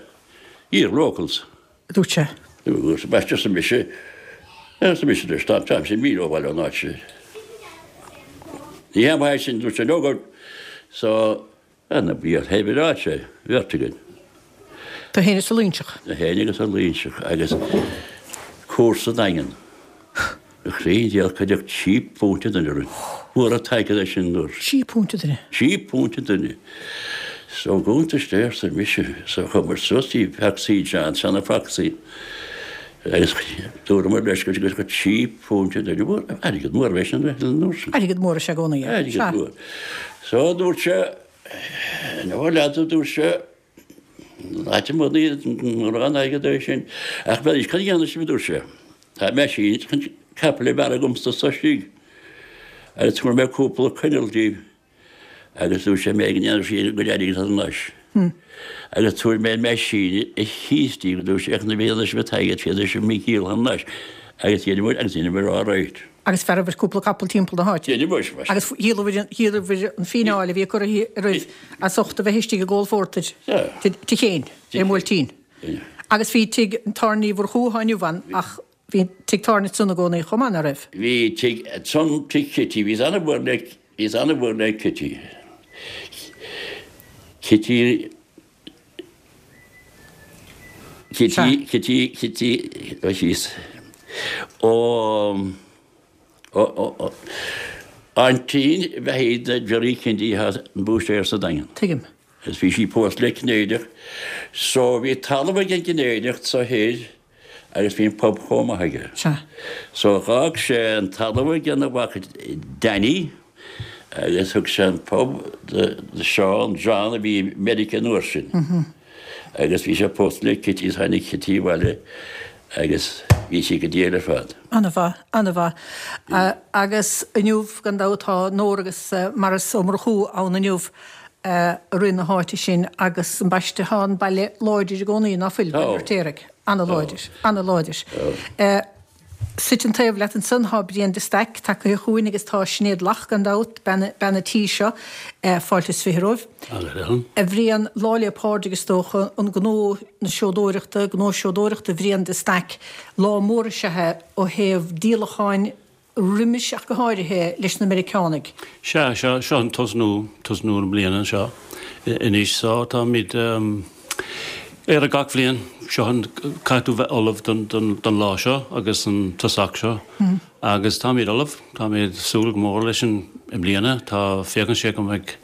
Ye're locals.
dúirt sé.
Dúirt ambaiste arsa mise, arsa mise leis, tá, táimse míle ó bhaile ón áit sin. Ní hea maith sin, dúirt sé, no good. So, ana bhí ar thaobh ar áit sé, bheirt againn.
Tú féin is an Loingseach.
Mé féin agus an Loingseach agus cúrsa Daingean. A chroí diail cuireadh £3 an duine orainn. Fuair an t-airgead é sin an uair.
£3 an duine.
£3 an duine. So gcuntais de arsa mise. So chuamar suas dtí Foxy John, seana Foxy. Agus dúramar leis go gcuirfeadh £3 an duine. Mhór, airgead mór é sin an uair sin.
Airgead mór is ea i gcónaí
é. Airgead mór. So dúirt sé, no lads a dúirt sé, Áit amuigh ní mórán airgead é sin. Ach bheadh cad a dhéanfaidh sibh, a dúirt sé. Tá meaisín chun capaill a bhearradh agamsa anso istigh. Agus tabharfaidh mé cúpla coinneal díbh. Agus dúirt sé mé go ndéanfaidh sí a gcuid airgid thar n-ais. Agus tabharfaidh mé an meaisín ar cíos díbh, a dúirt sé, ach nuair a dhéanfaidh sibh an t-airgead féadfaidh sibh mé a dhíol thar n-ais. Agus dheineamar agus dheineamar all right.
Agus bhearrabhair cúpla capall timpeall na háite.
Dheineamar,
mar. Agus dhíolabhair an fíneáil a bhí curtha oraibh as ucht a bheith istigh ag ól phórtair tigh Chéin, ar an mBuailtín. Agus bhí tigh an tábhairne Uí Mhurchú atá inniu ann ach bhí tigh tábhairne ansan i gcónaí chomh maith, ná raibh?
Bhí tigh ansan, tigh Chití, bhíos ana-mhór le, bhíos ana-mhór le Cití. Cití. Cití, Cití, Cití, ó síos. Ó, ó, ó, ó, aintín bheathaí do Jerry Kennedy atá an búistéir sa Daingean.
Tuigim.
Agus bhí sí pósta le Cinnéideach. So bhí talamh ag an gCinnéideach so thoir agus bhí an pub chomh maith aige.
Sea.
So dh'fhág sé an talamh ag an mhac Danny agus thug sé an pub do Seán, John a bhí i Meiriceá an uair sin. Agus bhí sé pósta le Kitty is tháinig Kitty abhaile agus bhí sí go diail ar fad.
Ana-mhaith, ana-mhaith. Agus inniu, gan dabht, tá Nóra agus Maurice Ó Murchú ann inniu. a rith na háite sin agus ambaiste tá an baile láidir i gcónaí, ná fuil, Baile an Fheirtéaraigh? Ana-láidir, ana-láidir. Suite an taobh leat ansan tá Brian de Staic tagaithe chugainn agus tá Sinéad Lach gan dabht, bean, bean an tí seo, fáilte is 20 romhaibh. A Bhriain, Lá 'le Pádraig is dócha, an gnó na seodóireachta, gnó seodóireachta Bhriain de Staic, lá mór is ea é ó thaobh díolacháin, roimis ach go háirithe leis na Meiriceánaigh.
Sea, seo, seo an tosnú, tosnú na bliana anseo anois so táimid ar gach bhliain, seo an, caithfidh tú bheith ullamh don, don, don lá seo agus an tosach seo agus táimid ullamh, táimid súil go mór leis an, i mbliana, tá, féachann sé go mbeidh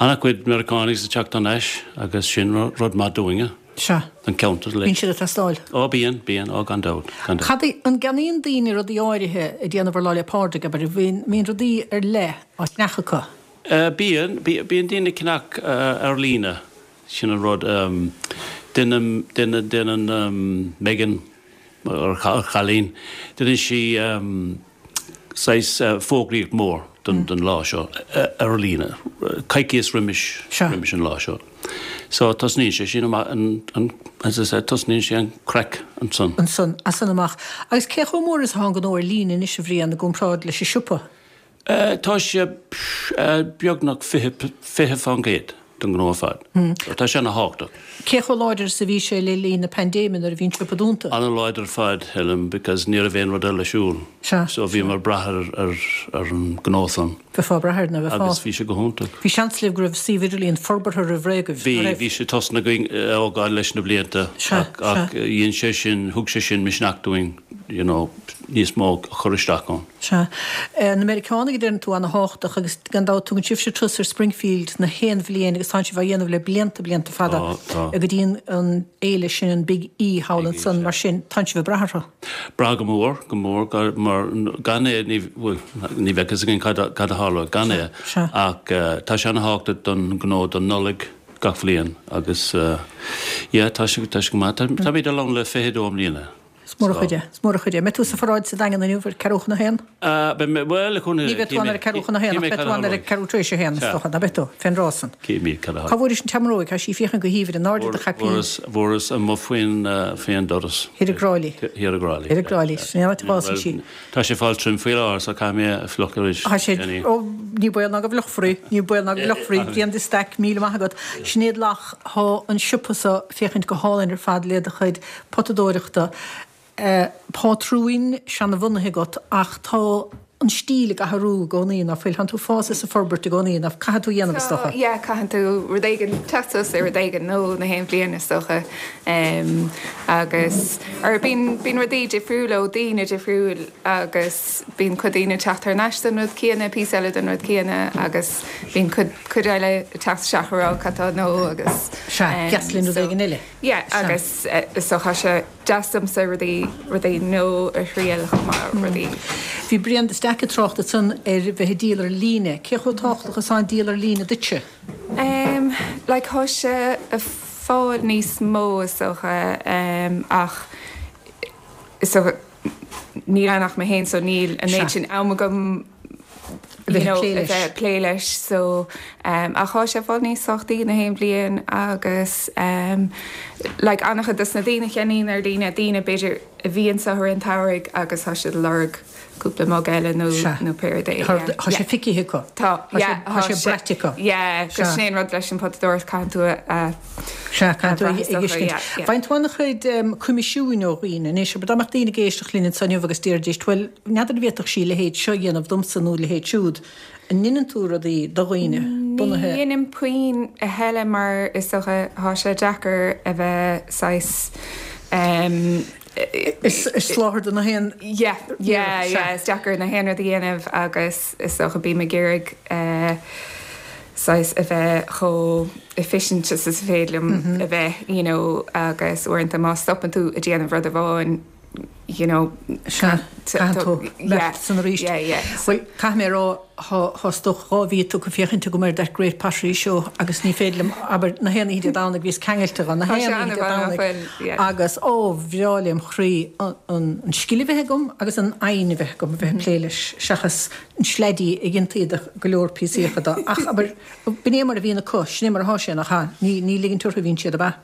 an-chuid Meiriceánaigh ag teacht thar n-ais agus sin rud maith dúinne.
Sea.
Don cheantar
uilig. Bíonn siad ag teastáil.
Ó bíonn, bíonn, ó gan dabht, gan dabht.
Cad é, an gceannaíonn daoine rudaí áirithe ag déanamh ar Lá 'le Pádraig, abair, an mbíonn rudaí ar leith á cheannach acu?
Bíonn, bíonn daoine ag ceannach ar líne, sin an rud. Déanann, déanann, déanann Megan, ár chailín, déanann sí saghas fógraíocht mór don lá seo ar líne, coicíos roimis, roimis an lá seo. So tosnaíonn sé sin amach an, an, as I said, tosnaíonn sé an craic
ansan. Ansan, as san amach. Agus cé chomh mór is atá an gnó ar líne anois, a Bhriain, i gcomparáid leis an siopa?
Tá sé beagnach 20% den ghnó ar fad. So tá sé ana-thábhachtach.
Cé chomh láidir is a bhí sé le linn na paindéime nuair a bhí an siopa dúnta?
Ana-láidir ar fad, Helen, because ní raibh aon rud eile ar siúl.
Sea.
So bhíomar ag brath ar ar ar an gnó san.
Bheifeá ag brath air, nó bheifeá.
Agus bhí sé go hiontach.
Bhí seans libh go raibh suíomh idirlíon forbartha roimh ré agaibh,
Bhí, bhí sé tosnaithe againn a thógáil leis na blianta.
Sea, sea.
Ach dhein sé sin, thug sé sin misneach dúinn. you know, níos mó a chur isteach ann.
Sea. Na Meiriceánaigh a deireann tú ana-thábhachtach agus gan dabht tugann sibhse turas ar Springfield na haon bhliain agus tánn sibh á dhéanamh le blianta, blianta fada
Tá, tá.
go dtí an fhéile sin, an Big E thall ansan, mar sin tánn sibh ag brath orthu.
Brath go mór, go mór, mar gan é ní, bhuel, ní bheadh fhios againn cad a, cad a tharlódh gan é
Sea.
ach tá sé ana-thábhachtach don ghnó don Nollaig gach bhliain agus yeah, tá sé, tá sé go maith. Táimid ann le 22 mbliana.
Is mór an chuid é, is mór an chuid é. Mbeidh tú sa pharáid sa Daingean inniu ar ceathrú chun a haon?
Beidh mé, bhuel, le cúnamh
Ní bheidh tú ann ar a ceathrú chun a haon, ach beidh tú ann ar a ceathrú tar éis a haon, is dócha, ná beidh tú, fén dtráth san.
Cífimid cad a
Cá bhfuairis an tseamróig? Tá sí ag féachaint go haoibhinn in airde do chaipín.
Fuaireas, fuaireas amuigh faoin, faoin doras.
Thiar i dTrá Lí.
Thiar i dTrá Lí.
Thiar i dTrá Lí, sin é an áit a bhfásann sí.
Tá sé ag fáil tirim faoi láthair so caithfidh mé é a fhliuchadh arís.
Tá sé, ó, ní baol ná go bhfliuchfar í, ní baol ná go bhfliuchfar í. Brian de Staic, míle maith agat. Sinéad Locke, thá an siopa so ag féachaint go hálainn ar fad le do chuid potadóireachta. Pátrúin seanabhunaithe agat ach tá an stíl ag athrú i gcónaí, ná fuil? Tánn tú ag fás is ag forbairt i gcónaí, ná caithfidh tú a dhéanamh is dócha?
Tá, yeah, caitheann tú rud éigin, teacht suas le rud éigin nua na haon bhliain is dócha. Agus, or bíonn, bíonn rudaí difriúil ó daoine difriúil agus bíonn cuid daoine ag teacht thar n-ais don rud céanna, píosa eile den rud céanna agus bíonn cuid, cuid eile ag teacht isteach ag rá cad tá nua agus,
Sea, deas linn rud
so.
éigin eile.
Yeah, agus is dócha tá sé deas domsa rudaí, rudaí nua a thriail chomh maith, rudaí.
Bhí Brian de Staic ag trácht ansan ar bheith ag díol ar líne. Cé chomh tábhachtach is atá an díol ar líne duitse?
Em, like tá sé ag fáil níos mó is dócha, em, ach is dócha níl ann ach mé féin so níl an méid sin am agam you know, a bheith ag plé leis so um, ach tá sé ag fáil níos tábhachtaí na haon bhliain agus um, like an-chuid dos na daoine a cheannaíonn ar líne, daoine b'fhéidir a bhí anseo i rith an tsamhraidh agus tá siad ag lorg cúpla mug eile nó nó pé rud é.
Tá sé feicthe acu.
Tá, yeah,
tá sé braite acu.
Yeah, agus sin é an rud leis an potadóireacht caitheann tú a
Sea, caithfidh tú a fheiscint. Faigheann tú an-chuid coimisiúin ó dhaoine anois. Abair dá mbeadh daoine ag éisteacht linn anseo inniu agus déarfaidís, bhuel, n'fheadar an bhféadfadh sí a leithéid seo a dhéanamh domsa nó a leithéid siúd. An ndeineann tú rudaí do dhaoine,
bunaithe. Ní dheinim puinn a thuilleadh mar is dócha tá sé deacair a bheith saghas.
Ag soláthar do na haon.
Yeah, yeah, yeah, is deacair na haon rud a dhéanamh agus is dócha bím ag iarraidh saghas a bheith chomh efficient is is féidir liom a bheith, you know, agus uaireanta má stopann tú ag déanamh rud amháin, you know,
Sea, caithfidh tú imeacht san arís.
Yeah, yeah.
Bhuel, caithfidh mé a rá, thá is dócha 2 mhí tugtha féachaint agam ar That Great Pottery Show agus ní féidir liom, abair, na haon oíche Dé Domhnaigh bhíos ceangailte dho, na
Tá sé
haon oíche Dé
an-mhaith, nach
Domhnaigh
bhfuil? Yeah.
agus ó, bhreá lem chroí an scil a bheith agam agus an fhoighne a bheith agam a bheith ag plé leis seachas an sleaidí a dhéantaí de go leor píosaíocha de. Ach, abair, b'in é mar a bhíonn acu, sin é mar athá sé, nach ea? Ní, ní ligint orthu a bhíonn siad, ab ea?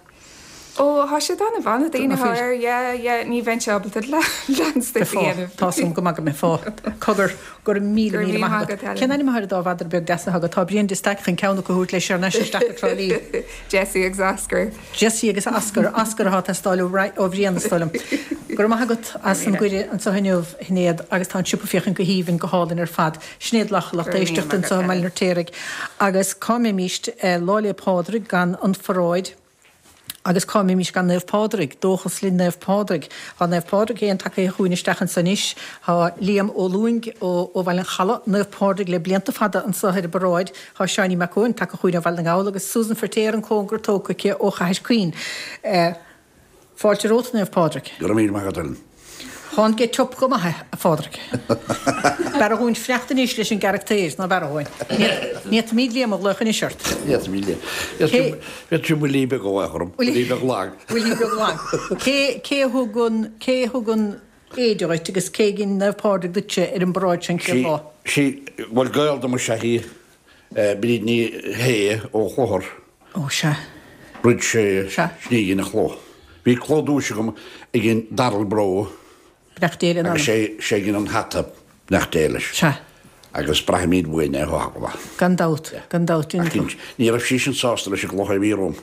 Ó, thá siad an-mhaith na daoine athá air, yeah, yeah, ní bheinnse ábalta leanstan a dhéanamh.
Tá's agam go maith go mbeifeá. Cogar, go raibh míle, míle maith agat. Cén ainm athá ar an dá mhadra beag deas athá agat? Tá Brian de Staic chun ceann acu a thabhairt leis thar n-ais isteach go Trá Lí.
Jessie agus Oscar.
Jessie agus Oscar, Oscar athá ag teastáil ó Bhrian is dóigh liom. Go raibh maith agat as an gcuireadh anseo inniu, a Shinéad, agus tá an siopa ag féachaint go haoibhinn, go hálainn ar fad. Sinéad Locke, lucht éisteachta anseo i mBaile an Fheirtéaraigh. Agus cá mbeimíst Lá 'le Pádraig gan an pharáid agus cá mbeimís gan Naomh Pádraig? Dóchas linn Naomh Pádraig. Tá Naomh Pádraig féin tagtha chugainn isteach anso anois. Tá Liam Ó Lúing ó Bhaile an Chalaidh, Naomh Pádraig le blianta fada anso ar an bparáid. Tá Seáinín Mac Eoin tagtha chugainn ó Bhaile na nGall agus Susan Feirtéar an cóngar tógtha aici ó Chathair Chaoin. Fáilte romhat, Naomh Pádraig.
Go raibh míle maith agat, Ellen.
Thá an get up go maith, a Phádraig. B'fhearra dhúinn fanacht anois leis an gcarachtair, ná b'fhearra dhúinn. Ní fhéadfaimíd Liam a ghlaoch anois ort.
Ní fhéadfaimíd Liam. Bheadh sé buillí beag a ghlaoch orm, buillí beag lag.
Buillí beag lag. Cé, cé a thug an, cé a thug an éide dhuit agus cé a dhein Naomh Pádraig duitse ar an bparáid sin chéad lá?
Sí, bhuel gaol dom is ea í, Bríd Ní Shé ó Chlochar.
Ó, sea.
Rud sé,
Sea.
sin í a dhein an cló. Bhí cló duais agam ag an Darrell Breaux.
Beannacht Dé lena
Agus
anam.
sé, sé a dhein an hata, beannacht Dé leis.
Sea.
Agus braithimid uainn é, thá go maith.
Gan dabht, gan dabht,
Ach
iontach.
ní raibh sí sin sásta leis an gcloch a bhí romham.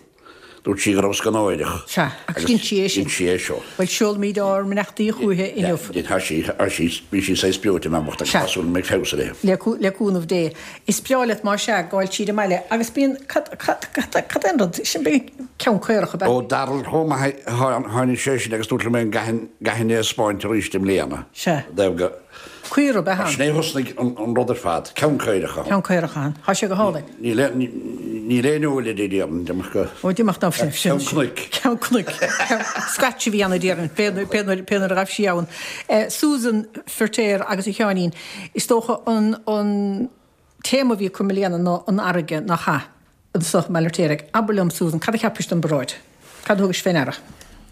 Dúirt sí go rabhas go náireach.
Sea, agus dhein sí é sin.
Dhein sí é seo.
Bhuel, seolaimid ár mbeannachtaí chúiche inniu.
Tá sí, tá sí, bhí sí saghas breoite an mbeann bhocht agus tá súil go mbeidh feabhas uirthi.
Le, le cúnamh Dé. Is breá leat más ea, gabháil tríd an mbaile agus bíonn, cad, cad, cad, cad é an rud, sin bíonn ceann caorach ab ea?
Ó Darrell chomh maith, tháinig sé sin agus dúirt liom é an gcaithfinn, gcaithfinn é a 'spáint arís i mbliana.
Sea.
I dtaobh go.
Caora ab ea
an. Sin é a thosnaigh an rud ar fad, ceann caorach ann.
Ceann caorach ann. Tá sé go hálainn.
Níl aon, níl aon eol air déarfainn, d'imeacht go.
Ó, d'imeacht ná sin.
Ceann cnoic.
Ceann cnoic. Scratch a bhí ann a déarfainn, pé nuair, pé nuair a ghaibh sí ann. Susan Firtéar agus a Sheáinín, is dócha an, an téama a bhí acu i mbliana ná an fharraige, nach ea? Anso i mBaile an Fheirtéaraigh. Abair liom, Susan, cad a cheapais den bparáid? Cad a thugais fé ndeara?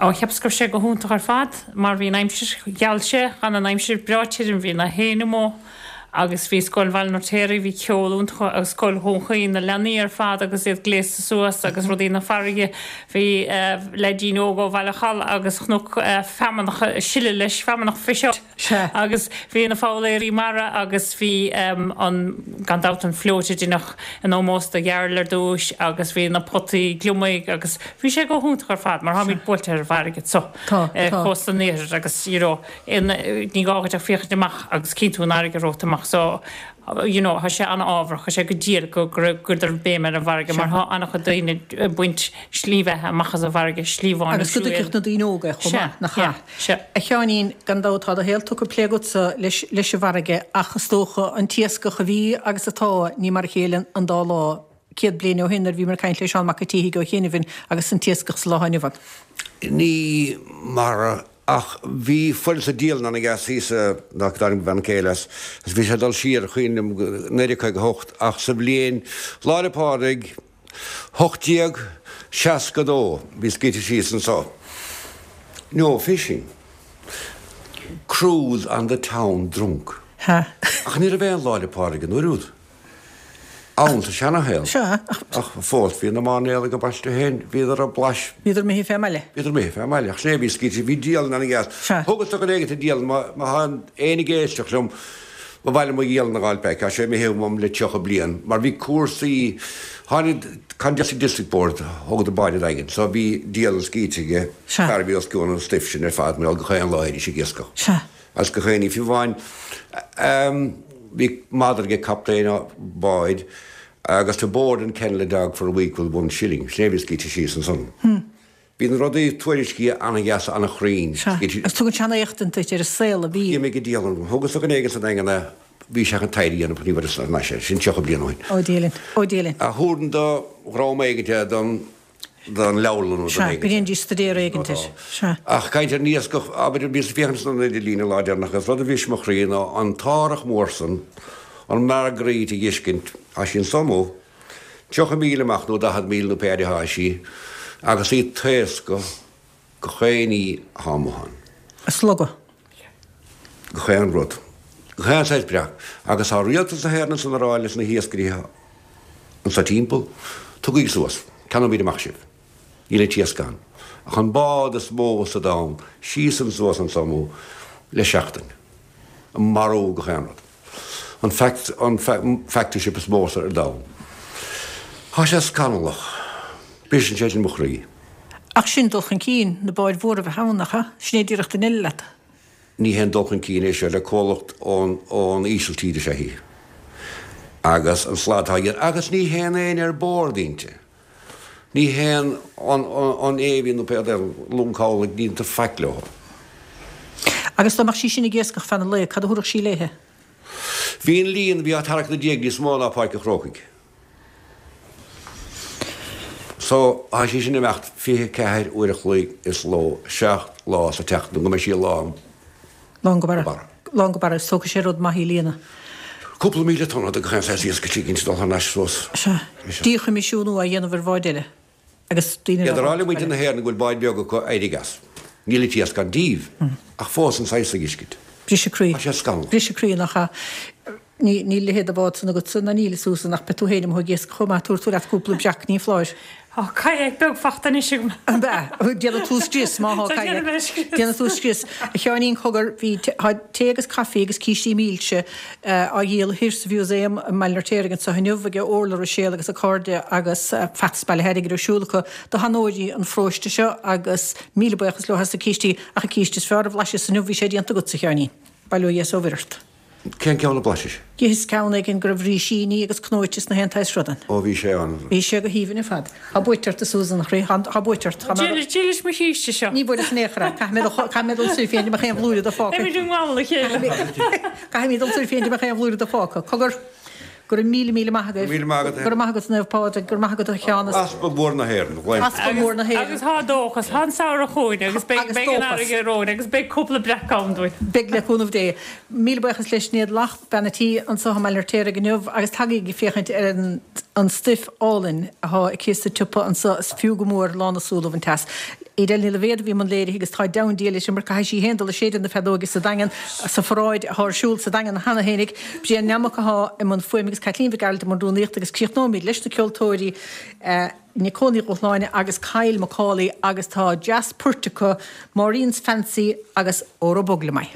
Ó, cheapas go raibh sé go hiontach ar fad, mar bhí an aimsir, gheall sé, d'fhan an aimsir breá tirim, bhí na héin amuigh agus bhí Scoil Bhaile an Fheirtéaraigh, bhí ceol iontach agus Scoil Dhún Chaoin, na leanaí ar fad agus iad gléasta suas agus rudaí na farraige, bhí leaidín óg ó Bhaile an Chalaidh agus Chnoc Feamnach ag sileadh leis, feamnach fish oil.
Sea.
Agus bhí na foghlaeirí mara agus bhí an, gan dabht, an float a deineadh in ómós do Dharryl ar dtúis agus bhí na potaí gliomaigh agus bhí sé go hiontach ar fad mar táimid buailte ar an bhfarraige anso ar chósta an iarthair agus you know ní gá dhuit ach féachaint amach agus cíonn tú an fharraige romhat amach so you know tá sé an-ámharach, tá sé go diail go gcuireadar béim ar an bhfarraige mar tá an-chuid daoine ag baint slí bheatha amach as an bhfarraige, slí amháin
Agus go dtuigfeadh na daoine óga é chomh maith, nach ea?
Sea.
A Sheáinín, gan dabht tá do shaol tugtha plé agatsa leis leis an bhfarraige ach is dócha an t-iascach a bhí agus atá, ní mar a chéile an dá lá. 100 bliain ó shin nuair a bhíomar ag caint le Seán Mac an tSíthigh ó chianaibh agus an t-iascach sa lá atá inniu ann.
Ní mar a Ach bhí fuil sa dialann ana-dheas thíos nach dtáinig mo bhean chéile as, agus bhí sé ag dul siar, cuimhin liom, go 1958, ach sa bhliain Lá 'le Pádraig 1862 bhí scríte síos anso, No fishing. Crews on the town drunk. Ach ní raibh aon Lá 'le Pádraig an uair úd. Ann sa seanashaol.
Sea,
ach. Fós bhí na mairnéalaigh ag baile féin, bhíodar ag blais.
Bhíodar imithe fé mbaile.
Bhíodar imithe fé mbaile, ach sin é a bhí scríte, bhí dialann ana-dheas.
Sea.
Thugas do dhuine éigin an dialann, má tá éinne ag éisteacht liom, ba mhaith liom mo dhialann a dh'fháil back, tá sé imithe uaim le 30 bliain, mar bhí cúrsaí, tháinig Congested District Board, thugadar báid an Daingin, so bhí dialann scríte aige,
Sea.
fear a bhí os cionn an stuif sin ar fad, mar gheall gach aon lá théidís ag iascach.
Sea.
Agus gach aon ní, fiú amháin bhí madra ag captaen báid agus to board and kennel a dog for a week was one shilling, sin é a bhí scríte síos ansan. Bhí na rudaí tuairiscithe ana-dheas ana-chruinn.
Sea, agus tugann sé an-éachtaint duit ar an saol a bhí.
D'imigh an dialann. Thugas do dhuine éigin sa Daingean é, bhí sé chun taighde a dhéanamh ach ní bhfuaireas thar n-ais é, sin 30 bliain ó shin.
Ó Dia linn, ó Dia linn.
A thabharfainn do dhream éigin é don. don leabharlann nó don
Sea, go ndéanfaidís staidéar éigint air. Sea.
Ach caint ar an iascach, abair, bhíos ag féachaint san idirlíon an lá deireanach agus rud a bhris mo chroí ná an t-árthach mór san, an Marguerite a dh'fheiscint, tá sí anso amuigh, 30 míle amach nó 40 míle nó pé fhaid atá sí, agus í ag taoscadh gach aon ní atá amuigh ann.
Ag slogadh.
Gach aon rud. Gach aon saghas breac. Agus tá rialtas na hÉireann ansan a rá leis na hiascairí anso timpeall, tugaigí suas, ceannóimid amach sibh. Níl an t-iasc ann. Ach an bád is mó sa domhan síos and suas anso amuigh le seachtain. Ag marú gach aon rud. An an factory ship is mó ar domhan. Tá sé scannalach. Briseann sé sin mo chroí.
Ach sin dul chun cinn, na báid mhóra a bheith ann, nach ea? Sin é díreach duine eile leat.
Ní haon dul chun cinn é seo le comhlacht ón Ísiltír is ea í. Agus an slad atá á dhéanamh. Agus ní théann éinne ar bord inti. Ní théann an Navy nó pé rud é, long cabhlaigh, ní dhéantar faic leo.
Agus dá mbeadh sí sin ag iascach feadh an lae, cad a thabharfadh sí léithe?
Bhí an líon a bhí á tarrac ina diaidh níos mó ná Páirc an Chrócaigh. So, tá sí sin ag imeacht 24 uair a chloig is ló, 7 lá sa tseachtain nó go mbeidh sí lán.
Lán go barra. Lán go barra. Is tógfaidh sé rud maith í líonadh.
Cúpla 1,000 tonna de gach aon saghas iasc istigh inti dul thar n-ais suas.
Sea. Díchoimisiúnú á dhéanamh ar bháid eile agus daoine
Iad ag rá le muintir na hÉireann go bhfuil báid bheaga acu éirigh as. Níl an t-iasc ann díobh. Ach fós an saghas a dh'fheiscint.
Briseadh croí.
Tá sé scannalach.
Briseadh croí nach ea? Níl a leithéid de bhád san agatsa, ná níl, a Susan, ach beidh tú féin amuigh ag iascach chomh maith, tabharfaidh tú leat cúpla breac, ní foláir.
Tá kayak beag fachta anois agam.
Ab ea? Déanfaidh tú scrios má thá kayak.
Déanfaidh mé scrios.
Déanfaidh tú scrios. A Sheáinín, cogar, bhí, tá tae agus caife agus cístí milse á dhíol thoir sa Mhúsaem i mBaile an Fheirtéaraigh anseo inniu ag Orla Ruiséal agus a cairde agus feachtas bailithe airgid ar siúl acu do sheanóirí an pharóiste seo agus míle buíochas leo as na cístí ach an císte is fearr a bhlaiseas inniu bhí sé déanta agatsa, a Sheáinín. Bail ó Dhia is ó Mhuire ort.
Cén ceann a bhlaisis?
D'itheas ceann éigin go raibh rísíní agus cnóite is na haon tsaghas rud ann.
Ó bhí sé an.
Bhí sé go haoibhinn ar fad. Tá buaite ort a Susan, a chroí, tá buaite ort. Tá mé.
Dílis mo chíste seo.
Ní bhuaileas in aon chor é. Caithfidh mé dul, caithfidh mé dul soir féin go mbeadh aon bhlúire de fágtha.
Beimid i ngamhail a chéile.
Caithfidh mé dul soir féin go mbeadh aon bhlúire de fágtha. Cogar. Go raibh míle míle maith agaibh.
Míle maith agat.
Go raibh maith agat Naomh Pádraig, go raibh maith agat a Sheáin.
Easpag Mhór na hÉireann.
Easpag Mhór na hÉireann.
Agus tá dóchas, tá an samhradh chugainn agus beidh beidh an fharraige romhainn agus beidh cúpla breac ann dúinn.
Beidh le cúnamh Dé. Míle buíochas le Sinéad Lach, bean a' tí anso i mBaile an Fheirtéaraigh inniu agus tagaigí ag féachaint ar an an stuif álainn athá aici sa tsiopa anso, is fiú go mór lán na súl a bhaint as. Edel Ní Loibhéad a bhí i mbun léirithe agus tá deamhan Dia léi mar caithfidh sí féin dul ag séideadh na feadóige sa Daingean sa pharáid athá ar siúl sa Daingean cheana fhéinig. Brian Nammock athá i mbun fuaime agus Caitlín Mhic Gearailt i mbun rúnaíochta agus críochnóimid leis na ceoltóirí Nicole Ní Dhubhshláine agus Kyle McCauley agus tá dreas poirt acu, Maureen's Fancy agus Óró Bog Liom É.